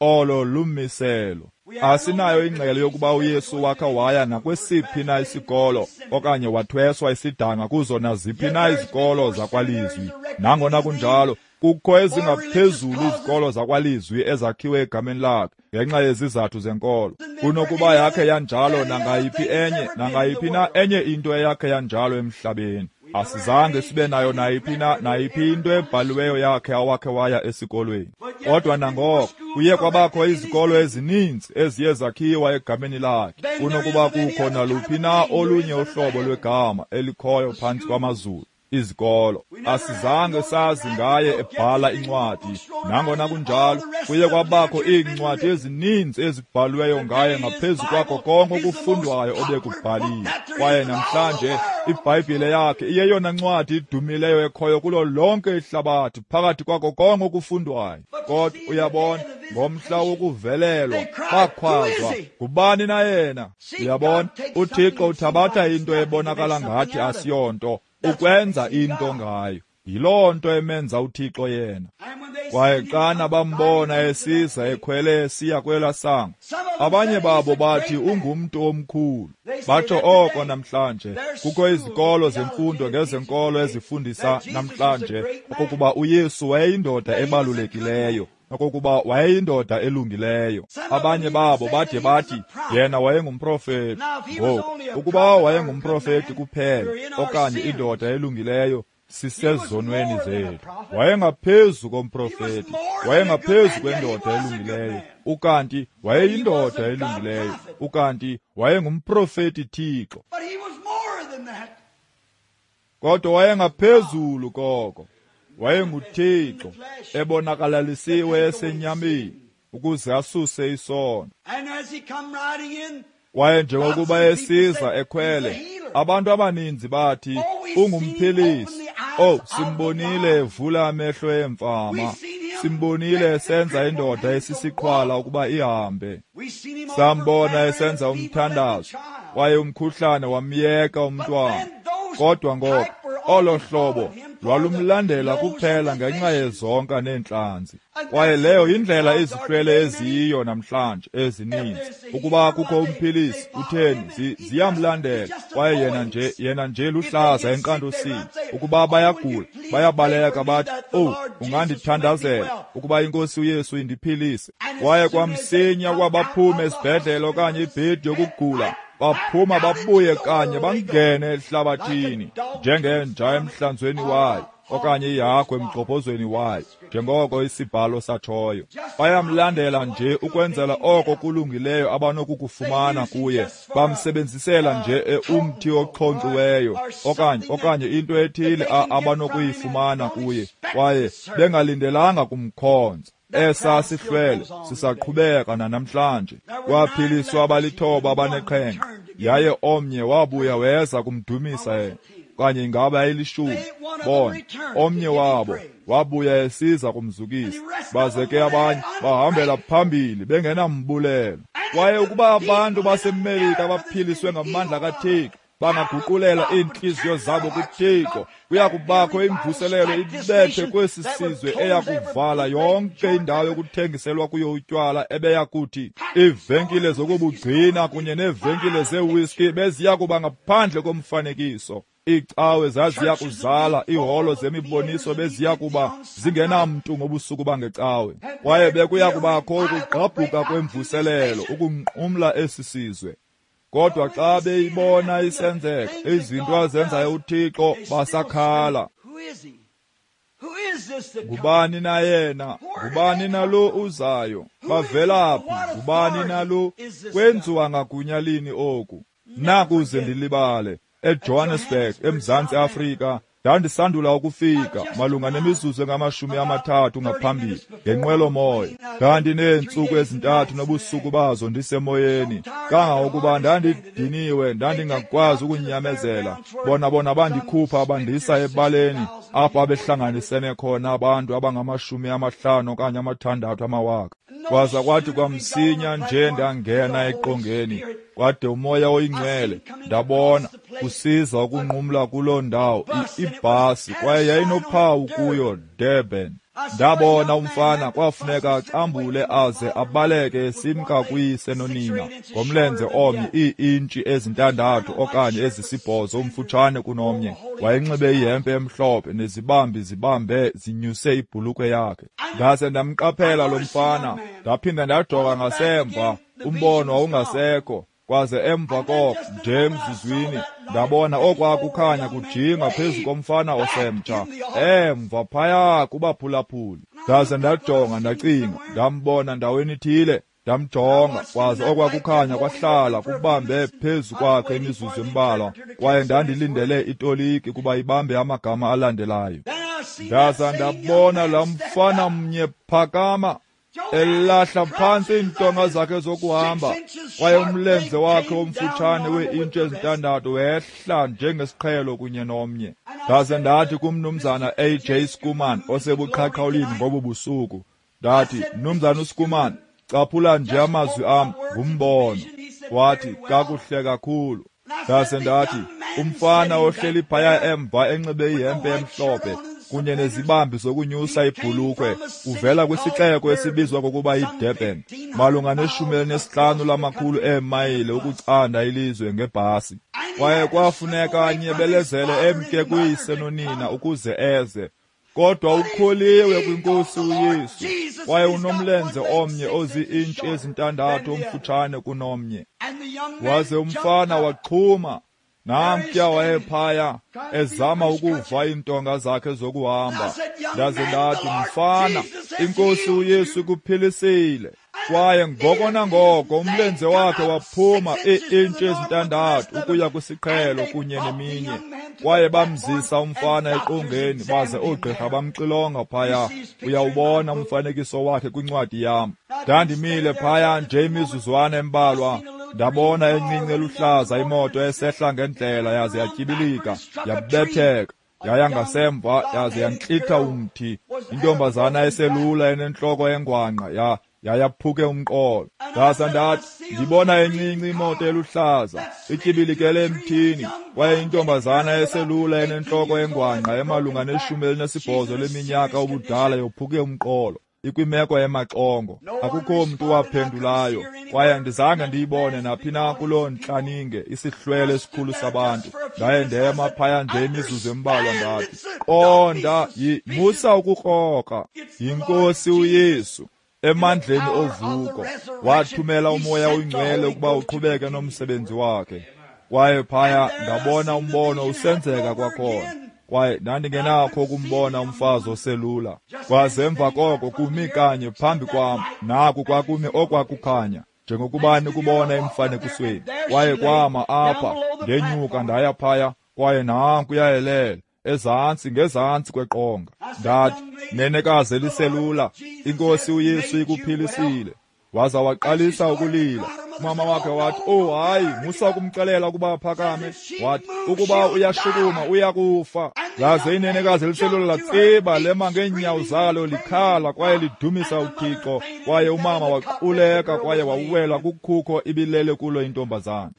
Olo lumiselo. Asinayo ingxelo yokuba uYesu wakha waya nakwesiphi na isikolo okanye wathweswa isidanga kuzo naziphi na izikolo zakwalizwi. Nangona kunjalo, kukho ezingaphezulu izikolo zakwalizwi ezakhiwe egameni lakhe ngenxa yezizathu zenkolo. Kunokuba yakhe yanjalo nangayiphi enye nangayiphi na enye into eyakhe yanjalo emhlabeni. Asizange sibe nayo nayiphi na nayiphi into ebhaliweyo yakhe awakhe waya esikolweni. Kodwa nangoko kuye kwabakho izikolo ezininzi eziye zakhiwa egameni lakhe kunokuba kukho naluphi na olunye uhlobo lwegama elikhoyo phantsi kwamazulu. Izikolo asizange sazi ngaye ebhala incwadi. Nangona kunjalo, kuye kwabakho iincwadi ezininzi ezibhaliweyo ngaye ngaphezu kwakho konke okufundwayo obekubhaliwe. Kwaye namhlanje iBhayibhile yakhe iyeyona ncwadi idumileyo ekhoyo kulo lonke ihlabathi phakathi kwakho konke okufundwayo. Kodwa uyabona, ngomhla wokuvelelwa bakhwazwa, ngubani na yena? Uyabona, uThixo uthabatha into ebonakala ngathi asiyonto ukwenza into ngayo. Yiloo nto emenza uThixo yena. Kwaye xana bambona esiza ekhwele esiya kwelaa sango, abanye babo bathi ungumntu omkhulu. Batsho oko namhlanje. Kukho izikolo zemfundo ngezenkolo ezifundisa namhlanje okokuba uYesu wayeyindoda ebalulekileyo, okokuba wayeyindoda elungileyo. Abanye babo bade bathi yena wayengumprofeti. Ngoku, ukuba wayengumprofeti kuphela okanye indoda elungileyo, sisezonweni zethu. Wayengaphezu komprofeti, wayengaphezu kwendoda elungileyo, ukanti wayeyindoda elungileyo, ukanti wayengumprofeti Thixo. Kodwa wayengaphezulu koko. WayenguThixo ebonakalalisiwe esenyameni ukuze asuse isono. Kwaye njengokuba esiza ekhwele, abantu abaninzi bathi ungumphilisi. Oh, simbonile evula amehlo emfama, simbonile esenza indoda esisiqhwala ukuba ihambe, sambona esenza umthandazo, kwaye umkhuhlane wamyeka umntwana. Kodwa ngoko olo hlobo lwalumlandela kuphela ngenxa yezonka neentlanzi. Kwaye leyo yindlela izihlwele eziyiyo namhlanje ezininzi. Ukuba kukho umphilisi, utheni, ziyamlandela. Kwaye yena nje yena nje luhlaza enkqantosini. Ukuba bayagula, bayabaleka bathi, "Oh, ungandithandazela ukuba iNkosi uYesu indiphilise." Kwaye kwamsinya kwabaphume esibhedlele okanye ibhedi yokugula, baphuma babuye kanye bangene ehlabathini njengenja emhlanzweni wayo okanye ihagu emgxobhozweni wayo, njengoko isibhalo satshoyo. Bayamlandela nje ukwenzela oko kulungileyo abanokukufumana kuye. Bamsebenzisela nje umthi oxhonkxiweyo okanye okanye into ethile abanokuyifumana kuye, kwaye bengalindelanga kumkhonza. Esa sihlwele sisaqhubeka nanamhlanje. Kwaphiliswa abalithoba abaneqhenqa, yaye omnye wabuya weza kumdumisa yena. Okanye ingaba yayilishumi? Bona, omnye wabo wabuya esiza kumzukisa, baze ke abanye bahambela phambili bengenambulelo. Kwaye ukuba abantu baseMelika baphiliswe ngamandla kaThixo, bangaguqulela iintliziyo zabo kuThixo, kuya kubakho imvuselelo ibethe kwesi sizwe eya kuvala yonke indawo yokuthengiselwa kuyo utywala ebeya kuthi iivenkile zokubugcina kunye neevenkile zeewhiskey beziya kuba ngaphandle komfanekiso. Iicawe zaziya kuzala, iiholo zemiboniso beziya kuba zingenamntu ngobusuku bangecawe. Kwaye bekuya kubakho ukugqabhuka kwemvuselelo ukunqumla esi sizwe. Kodwa xa beyibona isenzeka izinto azenzayo uThixo, basakhala. Ngubani na yena? Ngubani na lo uzayo? Bavelaphi? Ngubani na lo? Kwenziwa ngagunya lini oku? Nakuze ndilibale, eJohannesburg, eMzantsi Afrika, ndandisandula ukufika malunga nemizuzu engamashumi amathathu ngaphambili ngenqwelomoya. Ndandineentsuku ezintathu nobusuku bazo ndisemoyeni, kangangokuba ndandidiniwe, ndandingakwazi ukunyamezela. Bona bona bandikhupha bandisa ebaleni apho abehlanganisene khona abantu abangamashumi amahlanu okanye amathandathu amawaka. Kwaza kwathi kwamsinya nje ndangena eqongeni, kwade uMoya oyiNgcwele ndabona kusiza ukunqumla kuloo ndawo ibhasi, kwaye yayinophawu kuyo Durban. Ndabona umfana kwafuneka acambule aze abaleke esimka kuyise nonina ngomlenze omnye ii-intshi ezintandathu okanye ezisibhozo umfutshane kunomnye. Wayenxibe ihempe emhlophe nezibambi zibambe zinyuse ibhulukhwe yakhe. Ndaze ndamqaphela lo mfana, ndaphinda ndajonga ngasemva, umbono wawungasekho. Kwaze emva koko nje emzuzwini ndabona okwakukhanya kujinga phezu komfana osemtsha emva phaya kubaphulaphuli. Ndaze ndajonga ndacinga, ndambona ndaweni ithile, ndamjonga, kwaze okwakukhanya kwahlala kubambe phezu kwakhe imizuzu embalwa, kwaye ndandilindele itoliki kuba ibambe amagama alandelayo. Ndaza ndabona laa mfana mnye phakama elahla phantsi iintonga zakhe zokuhamba, kwaye umlenze wakhe omfutshane wee-intshi ezintandathu wehla njengesiqhelo kunye nomnye. Ndaze ndathi kumnumzana A J Schoeman osebuqhaqhawulini ngobu busuku, ndathi, Mnumzana uSchoeman, caphula nje amazwi am ngumbono. Wathi, kakuhle kakhulu. Ndaze ndathi, umfana ohleli phaya emva enxibe ihempe emhlophe kunye nezibambi zokunyusa ibhulukhwe uvela kwisixeko esibizwa ngokuba yiDurban, malunga neshumi elinesihlanu lamakhulu eemayile ukucanda ilizwe ngebhasi. Kwaye kwafuneka anyebelezele emke kuyise nonina ukuze eze. Kodwa ukholiwe kwinkosi uYesu, kwaye unomlenze omnye ozii-intshi ezintandathu omfutshane kunomnye. Waze umfana waxhuma. Namtya wayephaya ezama ukuva iintonga zakhe zokuhamba. Ndaze ndathi, mfana, inkosi uYesu ikuphilisile. Kwaye ngoko nangoko umlenze wakhe waphuma ii-intshi ezintandathu ukuya kwisiqhelo kunye neminye. Kwaye bamzisa umfana eqongeni, baze oogqirha bamxilonga phaya. Uyawubona umfanekiso wakhe kwincwadi yam. Ndandimile phaya nje imizuzwana embalwa, ndabona encinci eluhlaza imoto esehla ngendlela, yaze yatyibilika, yabetheka, yaya ngasemva, yaze yantlitha umthi. Intombazana eselula enentloko engwangqa ya yayaphuke umqolo. Ndaza ndathi, ndibona encinci imoto eluhlaza ityibilikele emthini, kwaye intombazana eselula enentloko engwangqa emalunga neshumi elinesibhozo leminyaka ubudala yophuke umqolo, ikwimeko emaxongo. Akukho mntu waphendulayo, kwaye andizange ndiyibone naphi na kuloo ntlaninge isihlwele esikhulu sabantu. Ndaye ndema phaya nje imizuzu embalwa, ndathi, qonda, musa ukukrokra, yinkosi uYesu emandleni ovuko wathumela uMoya oyiNgcwele ukuba uqhubeke nomsebenzi wakhe. Kwaye phaya ndabona umbono usenzeka kwakhona, kwaye ndandingenakho ukumbona umfazi oselula. Kwaze emva koko kumi kanye phambi kwam, naku kwakumi okwakukhanya njengokuba nikubona emfanekisweni. Kwaye kwama apha, ndenyuka ndaya phaya, kwaye nanku yayelele ezantsi ngezantsi kweqonga. Ndathi, nenekazi eliselula, inkosi uYesu ikuphilisile. Waza waqalisa ukulila. Umama wakhe wathi, oh hayi, musa ukumxelela ukuba aphakame. Wathi, ukuba uyashukuma uyakufa. Laze inenekazi eliselula latsiba lema ngeenyawo zalo likhala kwaye lidumisa uThixo. Kwaye umama waquleka kwaye wawela kukhukho ibilele kulo intombazana.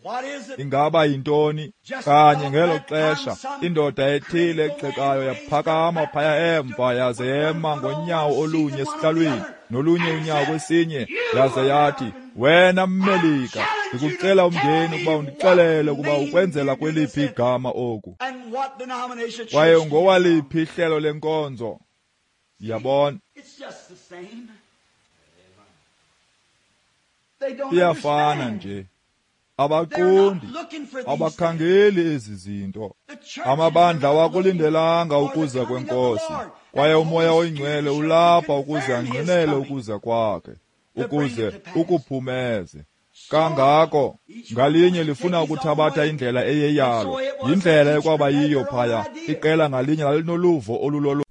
Ingaba yintoni? Kanye ngelo xesha indoda ethile egxekayo yaphakama phaya emva, yaze yema ngonyawo olunye esihlalweni nolunye unyawo kwesinye, yaze yathi, wena Mmelika, ndikucela umngeni ukuba undixelele ukuba ukwenzela kweliphi igama oku, kwaye ungowaliphi ihlelo lenkonzo. Yabona, iyafana nje. Abaqondi, abakhangeli ezi zinto. Amabandla awakulindelanga ukuza kwenkosi, kwaye uMoya oyiNgcwele ulapha ukuze angqinele ukuza kwakhe, ukuze ukuphumeze. Kangako ngalinye lifuna ukuthabatha indlela eyeyalo, yindlela ekwaba yiyo phaya. Iqela ngalinye lalinoluvo olulolo.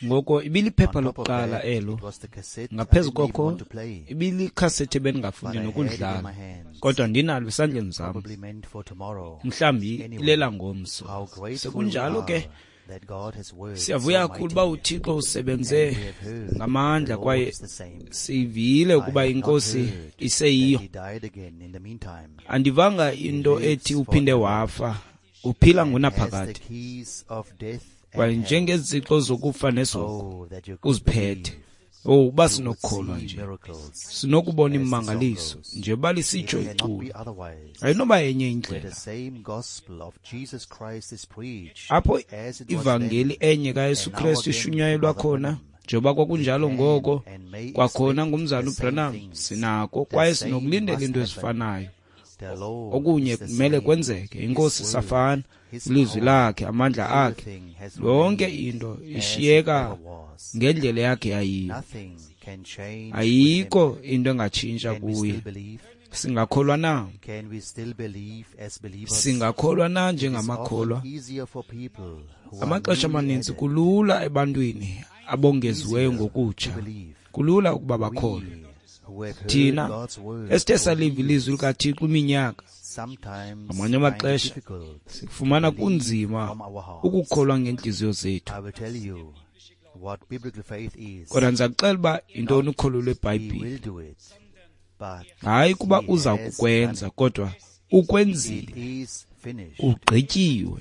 Ngoko ibiliphepha lokuqala elo. Ngaphezu koko ibilikhasethi ebendingafuni nokudlala, kodwa ndinalo esandleni zam, mhlawumbi ilela ngomso. Sekunjalo ke, siyavuya kakhulu uba uThixo usebenze ngamandla kwaye sivile ukuba iNkosi iseyiyo. Andivanga into ethi uphinde wafa, uphila ngunaphakade. Kwaye njengezixo zokufa nesoko uziphethe. Oh, uba sinokukholwa nje, sinokubona imimangaliso njengoba lisitsho iculo. Ayinoba yenye indlela. Apho ivangeli enye kaYesu Kristu ishunyayelwa khona, njengoba kwakunjalo ngoko, kwakhona ngumzalwana uBranham, sinako kwaye sinokulindela into ezifanayo. Okunye kumele kwenzeke. INkosi safana, ilizwi lakhe, amandla akhe, yonke into ishiyeka ngendlela yakhe yayiyo. Ayikho into engatshintsha kuye. Singakholwa na? Singakholwa na njengamakholwa? Amaxesha amaninzi kulula ebantwini abongeziweyo ngokutsha, kulula ukuba bakholwe. Thina esithe saliva ilizwi likaThixo iminyaka, ngamanye amaxesha sifumana kunzima ukukholwa ngeentliziyo zethu. Kodwa ndiza kuxela uba yintoni ukholo lweBhayibhile. Hayi kuba uza kukwenza, kodwa ukwenzile, ugqityiwe,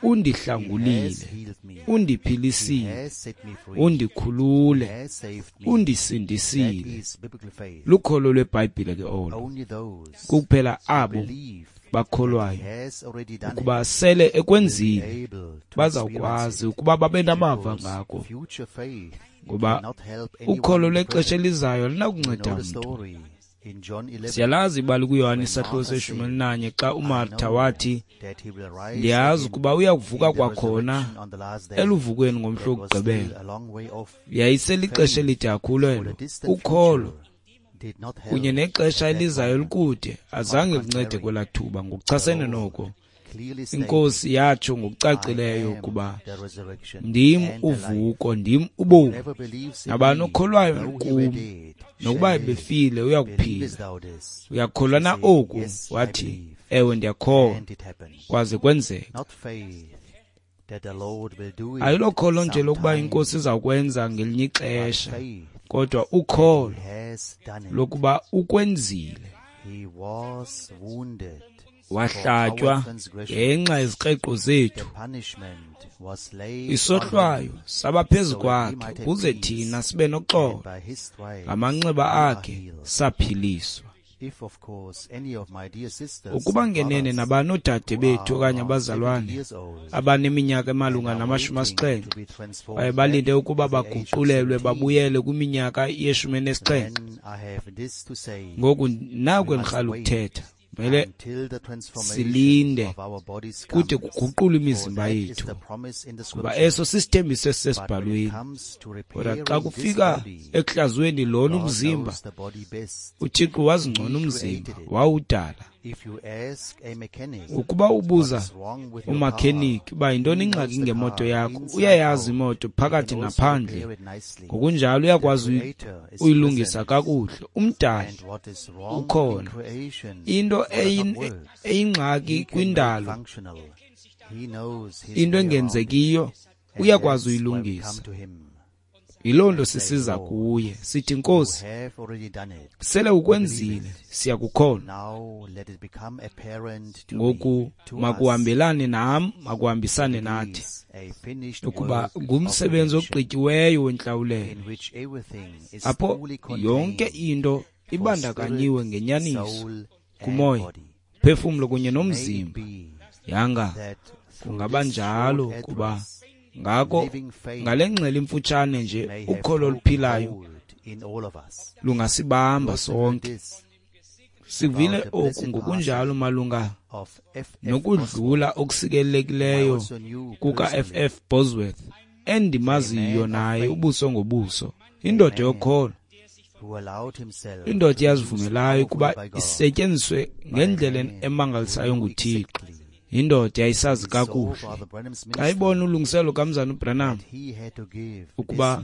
undihlangulile, undiphilisile, undikhulule, undisindisile. Lukholo lweBhayibhile ke olo. Kuphela abo bakholwayo ukuba sele ekwenzile bazawukwazi ukuba babe namava ngako, ngoba ukholo lwexesha elizayo alinakunceda mntu. Siyalazi ibali kuYohane isahluko seshumi elinanye xa uMartha wathi, ndiyazi ukuba uya kuvuka kwakhona eluvukweni ngomhla wokugqibela. Yayiselixesha elide kakhulu elo. Ukholo kunye nexesha elizayo elikude azange lincede kwelaa thuba. Ngokuchasene noko, iNkosi yatsho ngokucacileyo ukuba ndim uvuko, ndim ubomi. Nabani okholwayo kum, nokuba ebefile, uyakuphila. Uyakholwa na oku? Wathi, ewe, ndiyakholwa. Kwaze kwenzeka. Ayilokholo nje lokuba iNkosi izawukwenza ngelinye ixesha, kodwa ukholo lokuba ukwenzile. Wahlatywa ngenxa yezikreqo zethu, isohlwayo saba phezu kwakhe ukuze thina sibe noxolo. Ngamanxeba akhe saphiliswa. Ukuba ngenene nabani oodade bethu okanye abazalwane abaneminyaka emalunga namashumi asixhenxe baye balinde ukuba baguqulelwe babuyele kwiminyaka yeshumi enesixhenxe, ngoku naku endirhala ukuthetha. Mele silinde kude kuguqulwe imizimba yethu, kuba eso sisithembiso esisesibhalweni. Kodwa xa kufika ekuhlazweni lona umzimba, uThixo wazi ngcono umzimba, wawudala. Ukuba ubuza umakhenikhi uba yintoni ingxaki ngemoto yakho, uyayazi imoto phakathi naphandle, ngokunjalo uyakwazi uyilungisa kakuhle. Umdali ukhona. Into eyingxaki kwindalo, into engenzekiyo, uyakwazi uyilungisa. Yiloo nto sisiza kuye sithi, Nkosi, sele ukwenzile, siyakukholwa. Ngoku makuhambelane nam, makuhambisane nathi, ukuba ngumsebenzi ogqityiweyo wentlawulelo, apho yonke into ibandakanyiwe ngenyaniso kumoya, phefumlo kunye nomzimba. Yanga kungaba njalo, kuba ngako ngale ngxelo imfutshane nje, ukholo oluphilayo lungasibamba sonke. Sivile oku ngokunjalo malunga nokudlula okusikelekileyo kuka-F F Bosworth, endimaziyo naye ubuso ngobuso, indoda yokholo, indoda eyazivumelayo ukuba isetyenziswe ngendlela emangalisayo nguThixo. Indoda yayisazi kakuhle. Xa ibona ulungiselo kamzana uBranham ukuba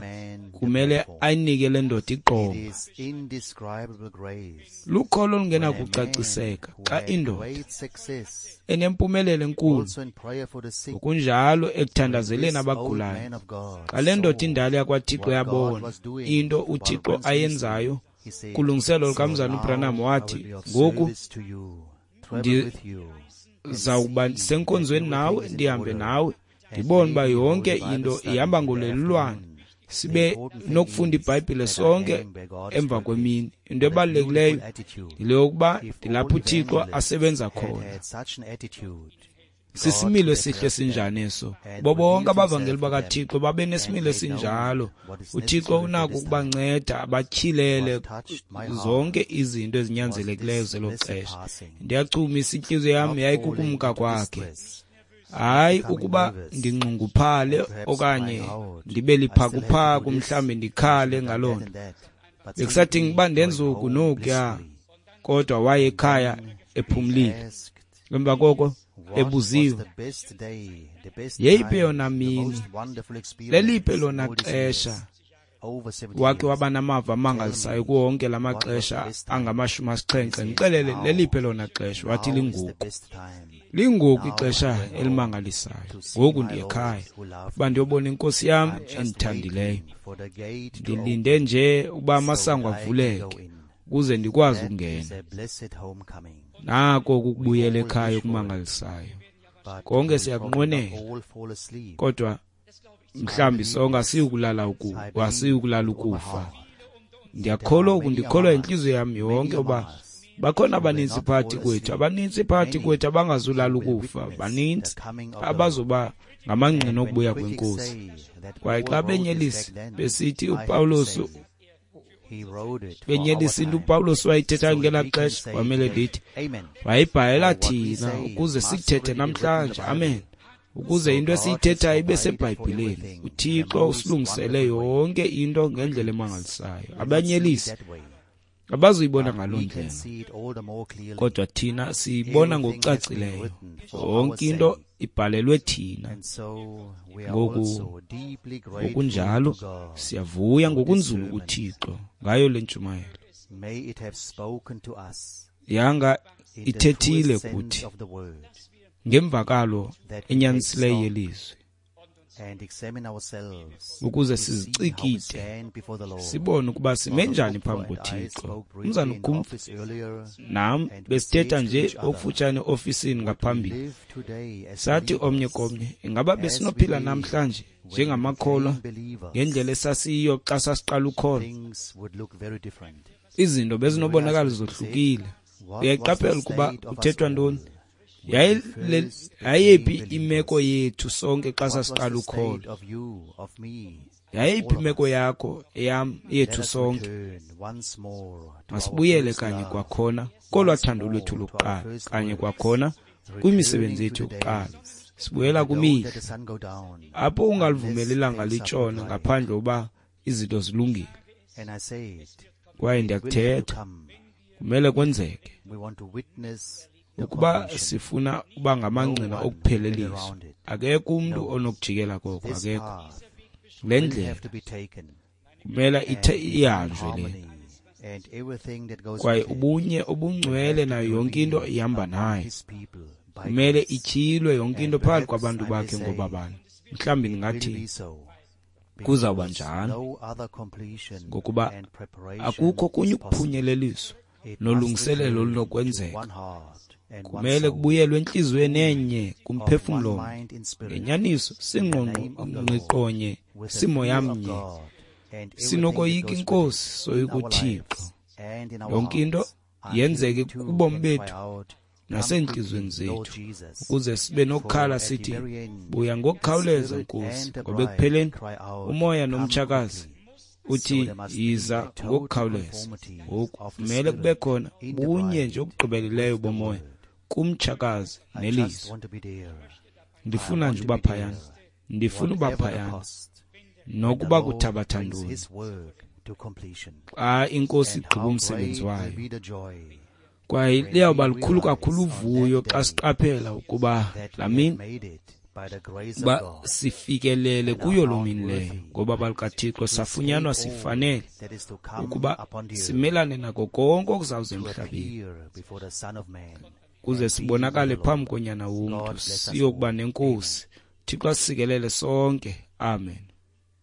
kumele ayinike le ndoda iqonga. Lukholo olungenakucaciseka xa indoda enempumelelo enkulu ngokunjalo ekuthandazeleni abagulayo. Xa le ndoda indala yakwaThixo yabona into uThixo ayenzayo kulungiselo lukamzana uBranham, wathi, ngoku ndizawuba senkonzweni nawe, ndihambe nawe, ndibone uba yonke into ihamba ngolelulwane, sibe nokufunda iBhayibhile sonke emva kwemini. Into ebalulekileyo yile yokuba ndilapho uThixo asebenza khona. Sisimilo esihle sinjani eso? Bo bonke abavangeli bakaThixo babe nesimilo esinjalo. UThixo unako ukubanceda abatyhilele zonke izinto ezinyanzelekileyo zelo xesha. Ndiyachumisa intliziyo yam yayikukumka kwakhe. Hayi ukuba ndinxunguphale okanye ndibe liphakuphaku mhlawumbi ndikhale ngaloo nto. Bekusathi ngiba ndenza oku nokuya, kodwa waye ekhaya ephumlile. Emva koko ebuziwe, yeyiphi yona mini, leliphi lona xesha wakhe waba namava amangalisayo kuwo wonke la maxesha angamashumi asixhenxe? Ndixelele, leliphi lona xesha? Wathi lingoku. Lingoku ixesha elimangalisayo. Ngoku ndiye ekhaya uba ndiyobona inkosi yam endithandileyo. Ndilinde nje uba amasango avuleke ukuze ndikwazi ukungena. Nako ukubuyela ekhaya okumangalisayo. Konke siyakunqwenela, kodwa mhlawumbi sonke asiyukulala ukufa, asiyukulala ukufa. Ndiyakholwa oku, ndikholwa intliziyo yam yonke uba bakhona abanintsi phakathi kwethu, abanintsi phakathi kwethu abangazulala ukufa, banintsi abazoba ngamangqina okubuya kwenkosi. Kwaye xa benyelisa besithi uPawulos, benyelisa into uPawulos wayithetha ngelaa xesha, kwamele ndithi wayibhalela thina ukuze sikuthethe namhlanje. Amen. Ukuze into esiyithethayo ibe seBhayibhileni. uThixo usilungisele yonke into ngendlela emangalisayo. Abanyelisi abazuyibona ngaloo ndlela, kodwa thina siyibona ngokucacileyo. Yonke into ibhalelwe thina. Ngoku ngokunjalo siyavuya ngokunzulu kuThixo ngayo le ntshumayelo. Yanga ithethile kuthi ngemvakalo enyanisileyo yelizwi, ukuze sizicikide sibone ukuba sime njani phambi koThixo. Umzana uKumpf nam besithetha nje okufutshane eofisini ngaphambili, sathi omnye komnye, ingaba besinophila namhlanje njengamakholwa ngendlela esasiyiyo xa sasiqala ukholo? Izinto bezinobonakala zohlukile. Uyayiqaphela ukuba kuthethwa ntoni? Yayiphi imeko yethu sonke xa sasiqala ukholo? Yayiphi imeko yakho, eyam, yethu sonke? Masibuyele kanye kwakhona kolwa thando lwethu lokuqala, kanye kwakhona kwimisebenzi yethu yokuqala. Sibuyela kwimihla apho ungalivumeli ilanga litshone ngaphandle uba izinto zilungile. Kwaye ndiyakuthetha, kumele kwenzeke. Ukuba sifuna uba ngamangqina okupheleliswa, akekho umntu onokujikela koko, akekho. Le ndlela kumele ithe ihanjwe le, kwaye ubunye obungcwele nayo yonke into ihamba nayo. Kumele ityhilwe yonke into phakathi kwabantu bakhe ngobabani. Mhlawumbi ndingathi kuzawuba njalo, ngokuba akukho kunye ukuphunyeleliswa nolungiselelo olunokwenzeka. Kumele kubuyelwe entliziyweni enye kumphefumlo omnye, ngenyaniso singqongqonye simoyamnye, sinokoyika inkosi soyika uThixo. Yonke into yenzeke kubomi bethu nasentliziyweni zethu, ukuze sibe nokukhala sithi, buya ngokukhawuleza Nkosi, ngoba ekupheleni umoya nomtshakazi uthi yiza ngokukhawuleza. Ngoku kumele kube khona bunye nje obugqibeleleyo bomoya kumtshakazi nelizwi. Ndifuna nje uba phayana, ndifuna uba phayana, nokuba kuthabatha ntoni. Xa inkosi igqiba umsebenzi wayo, Kwaye liyawuba lukhulu kakhulu uvuyo xa siqaphela ukuba laa mini uba sifikelele kuyo loo mini leyo, ngoba balikaThixo safunyanwa sifanele ukuba simelane nako konke okuzawuza emhlabeni, kuze sibonakale phambi koNyana womntu, siyokuba nenkosi. Thixo asisikelele sonke. Amen.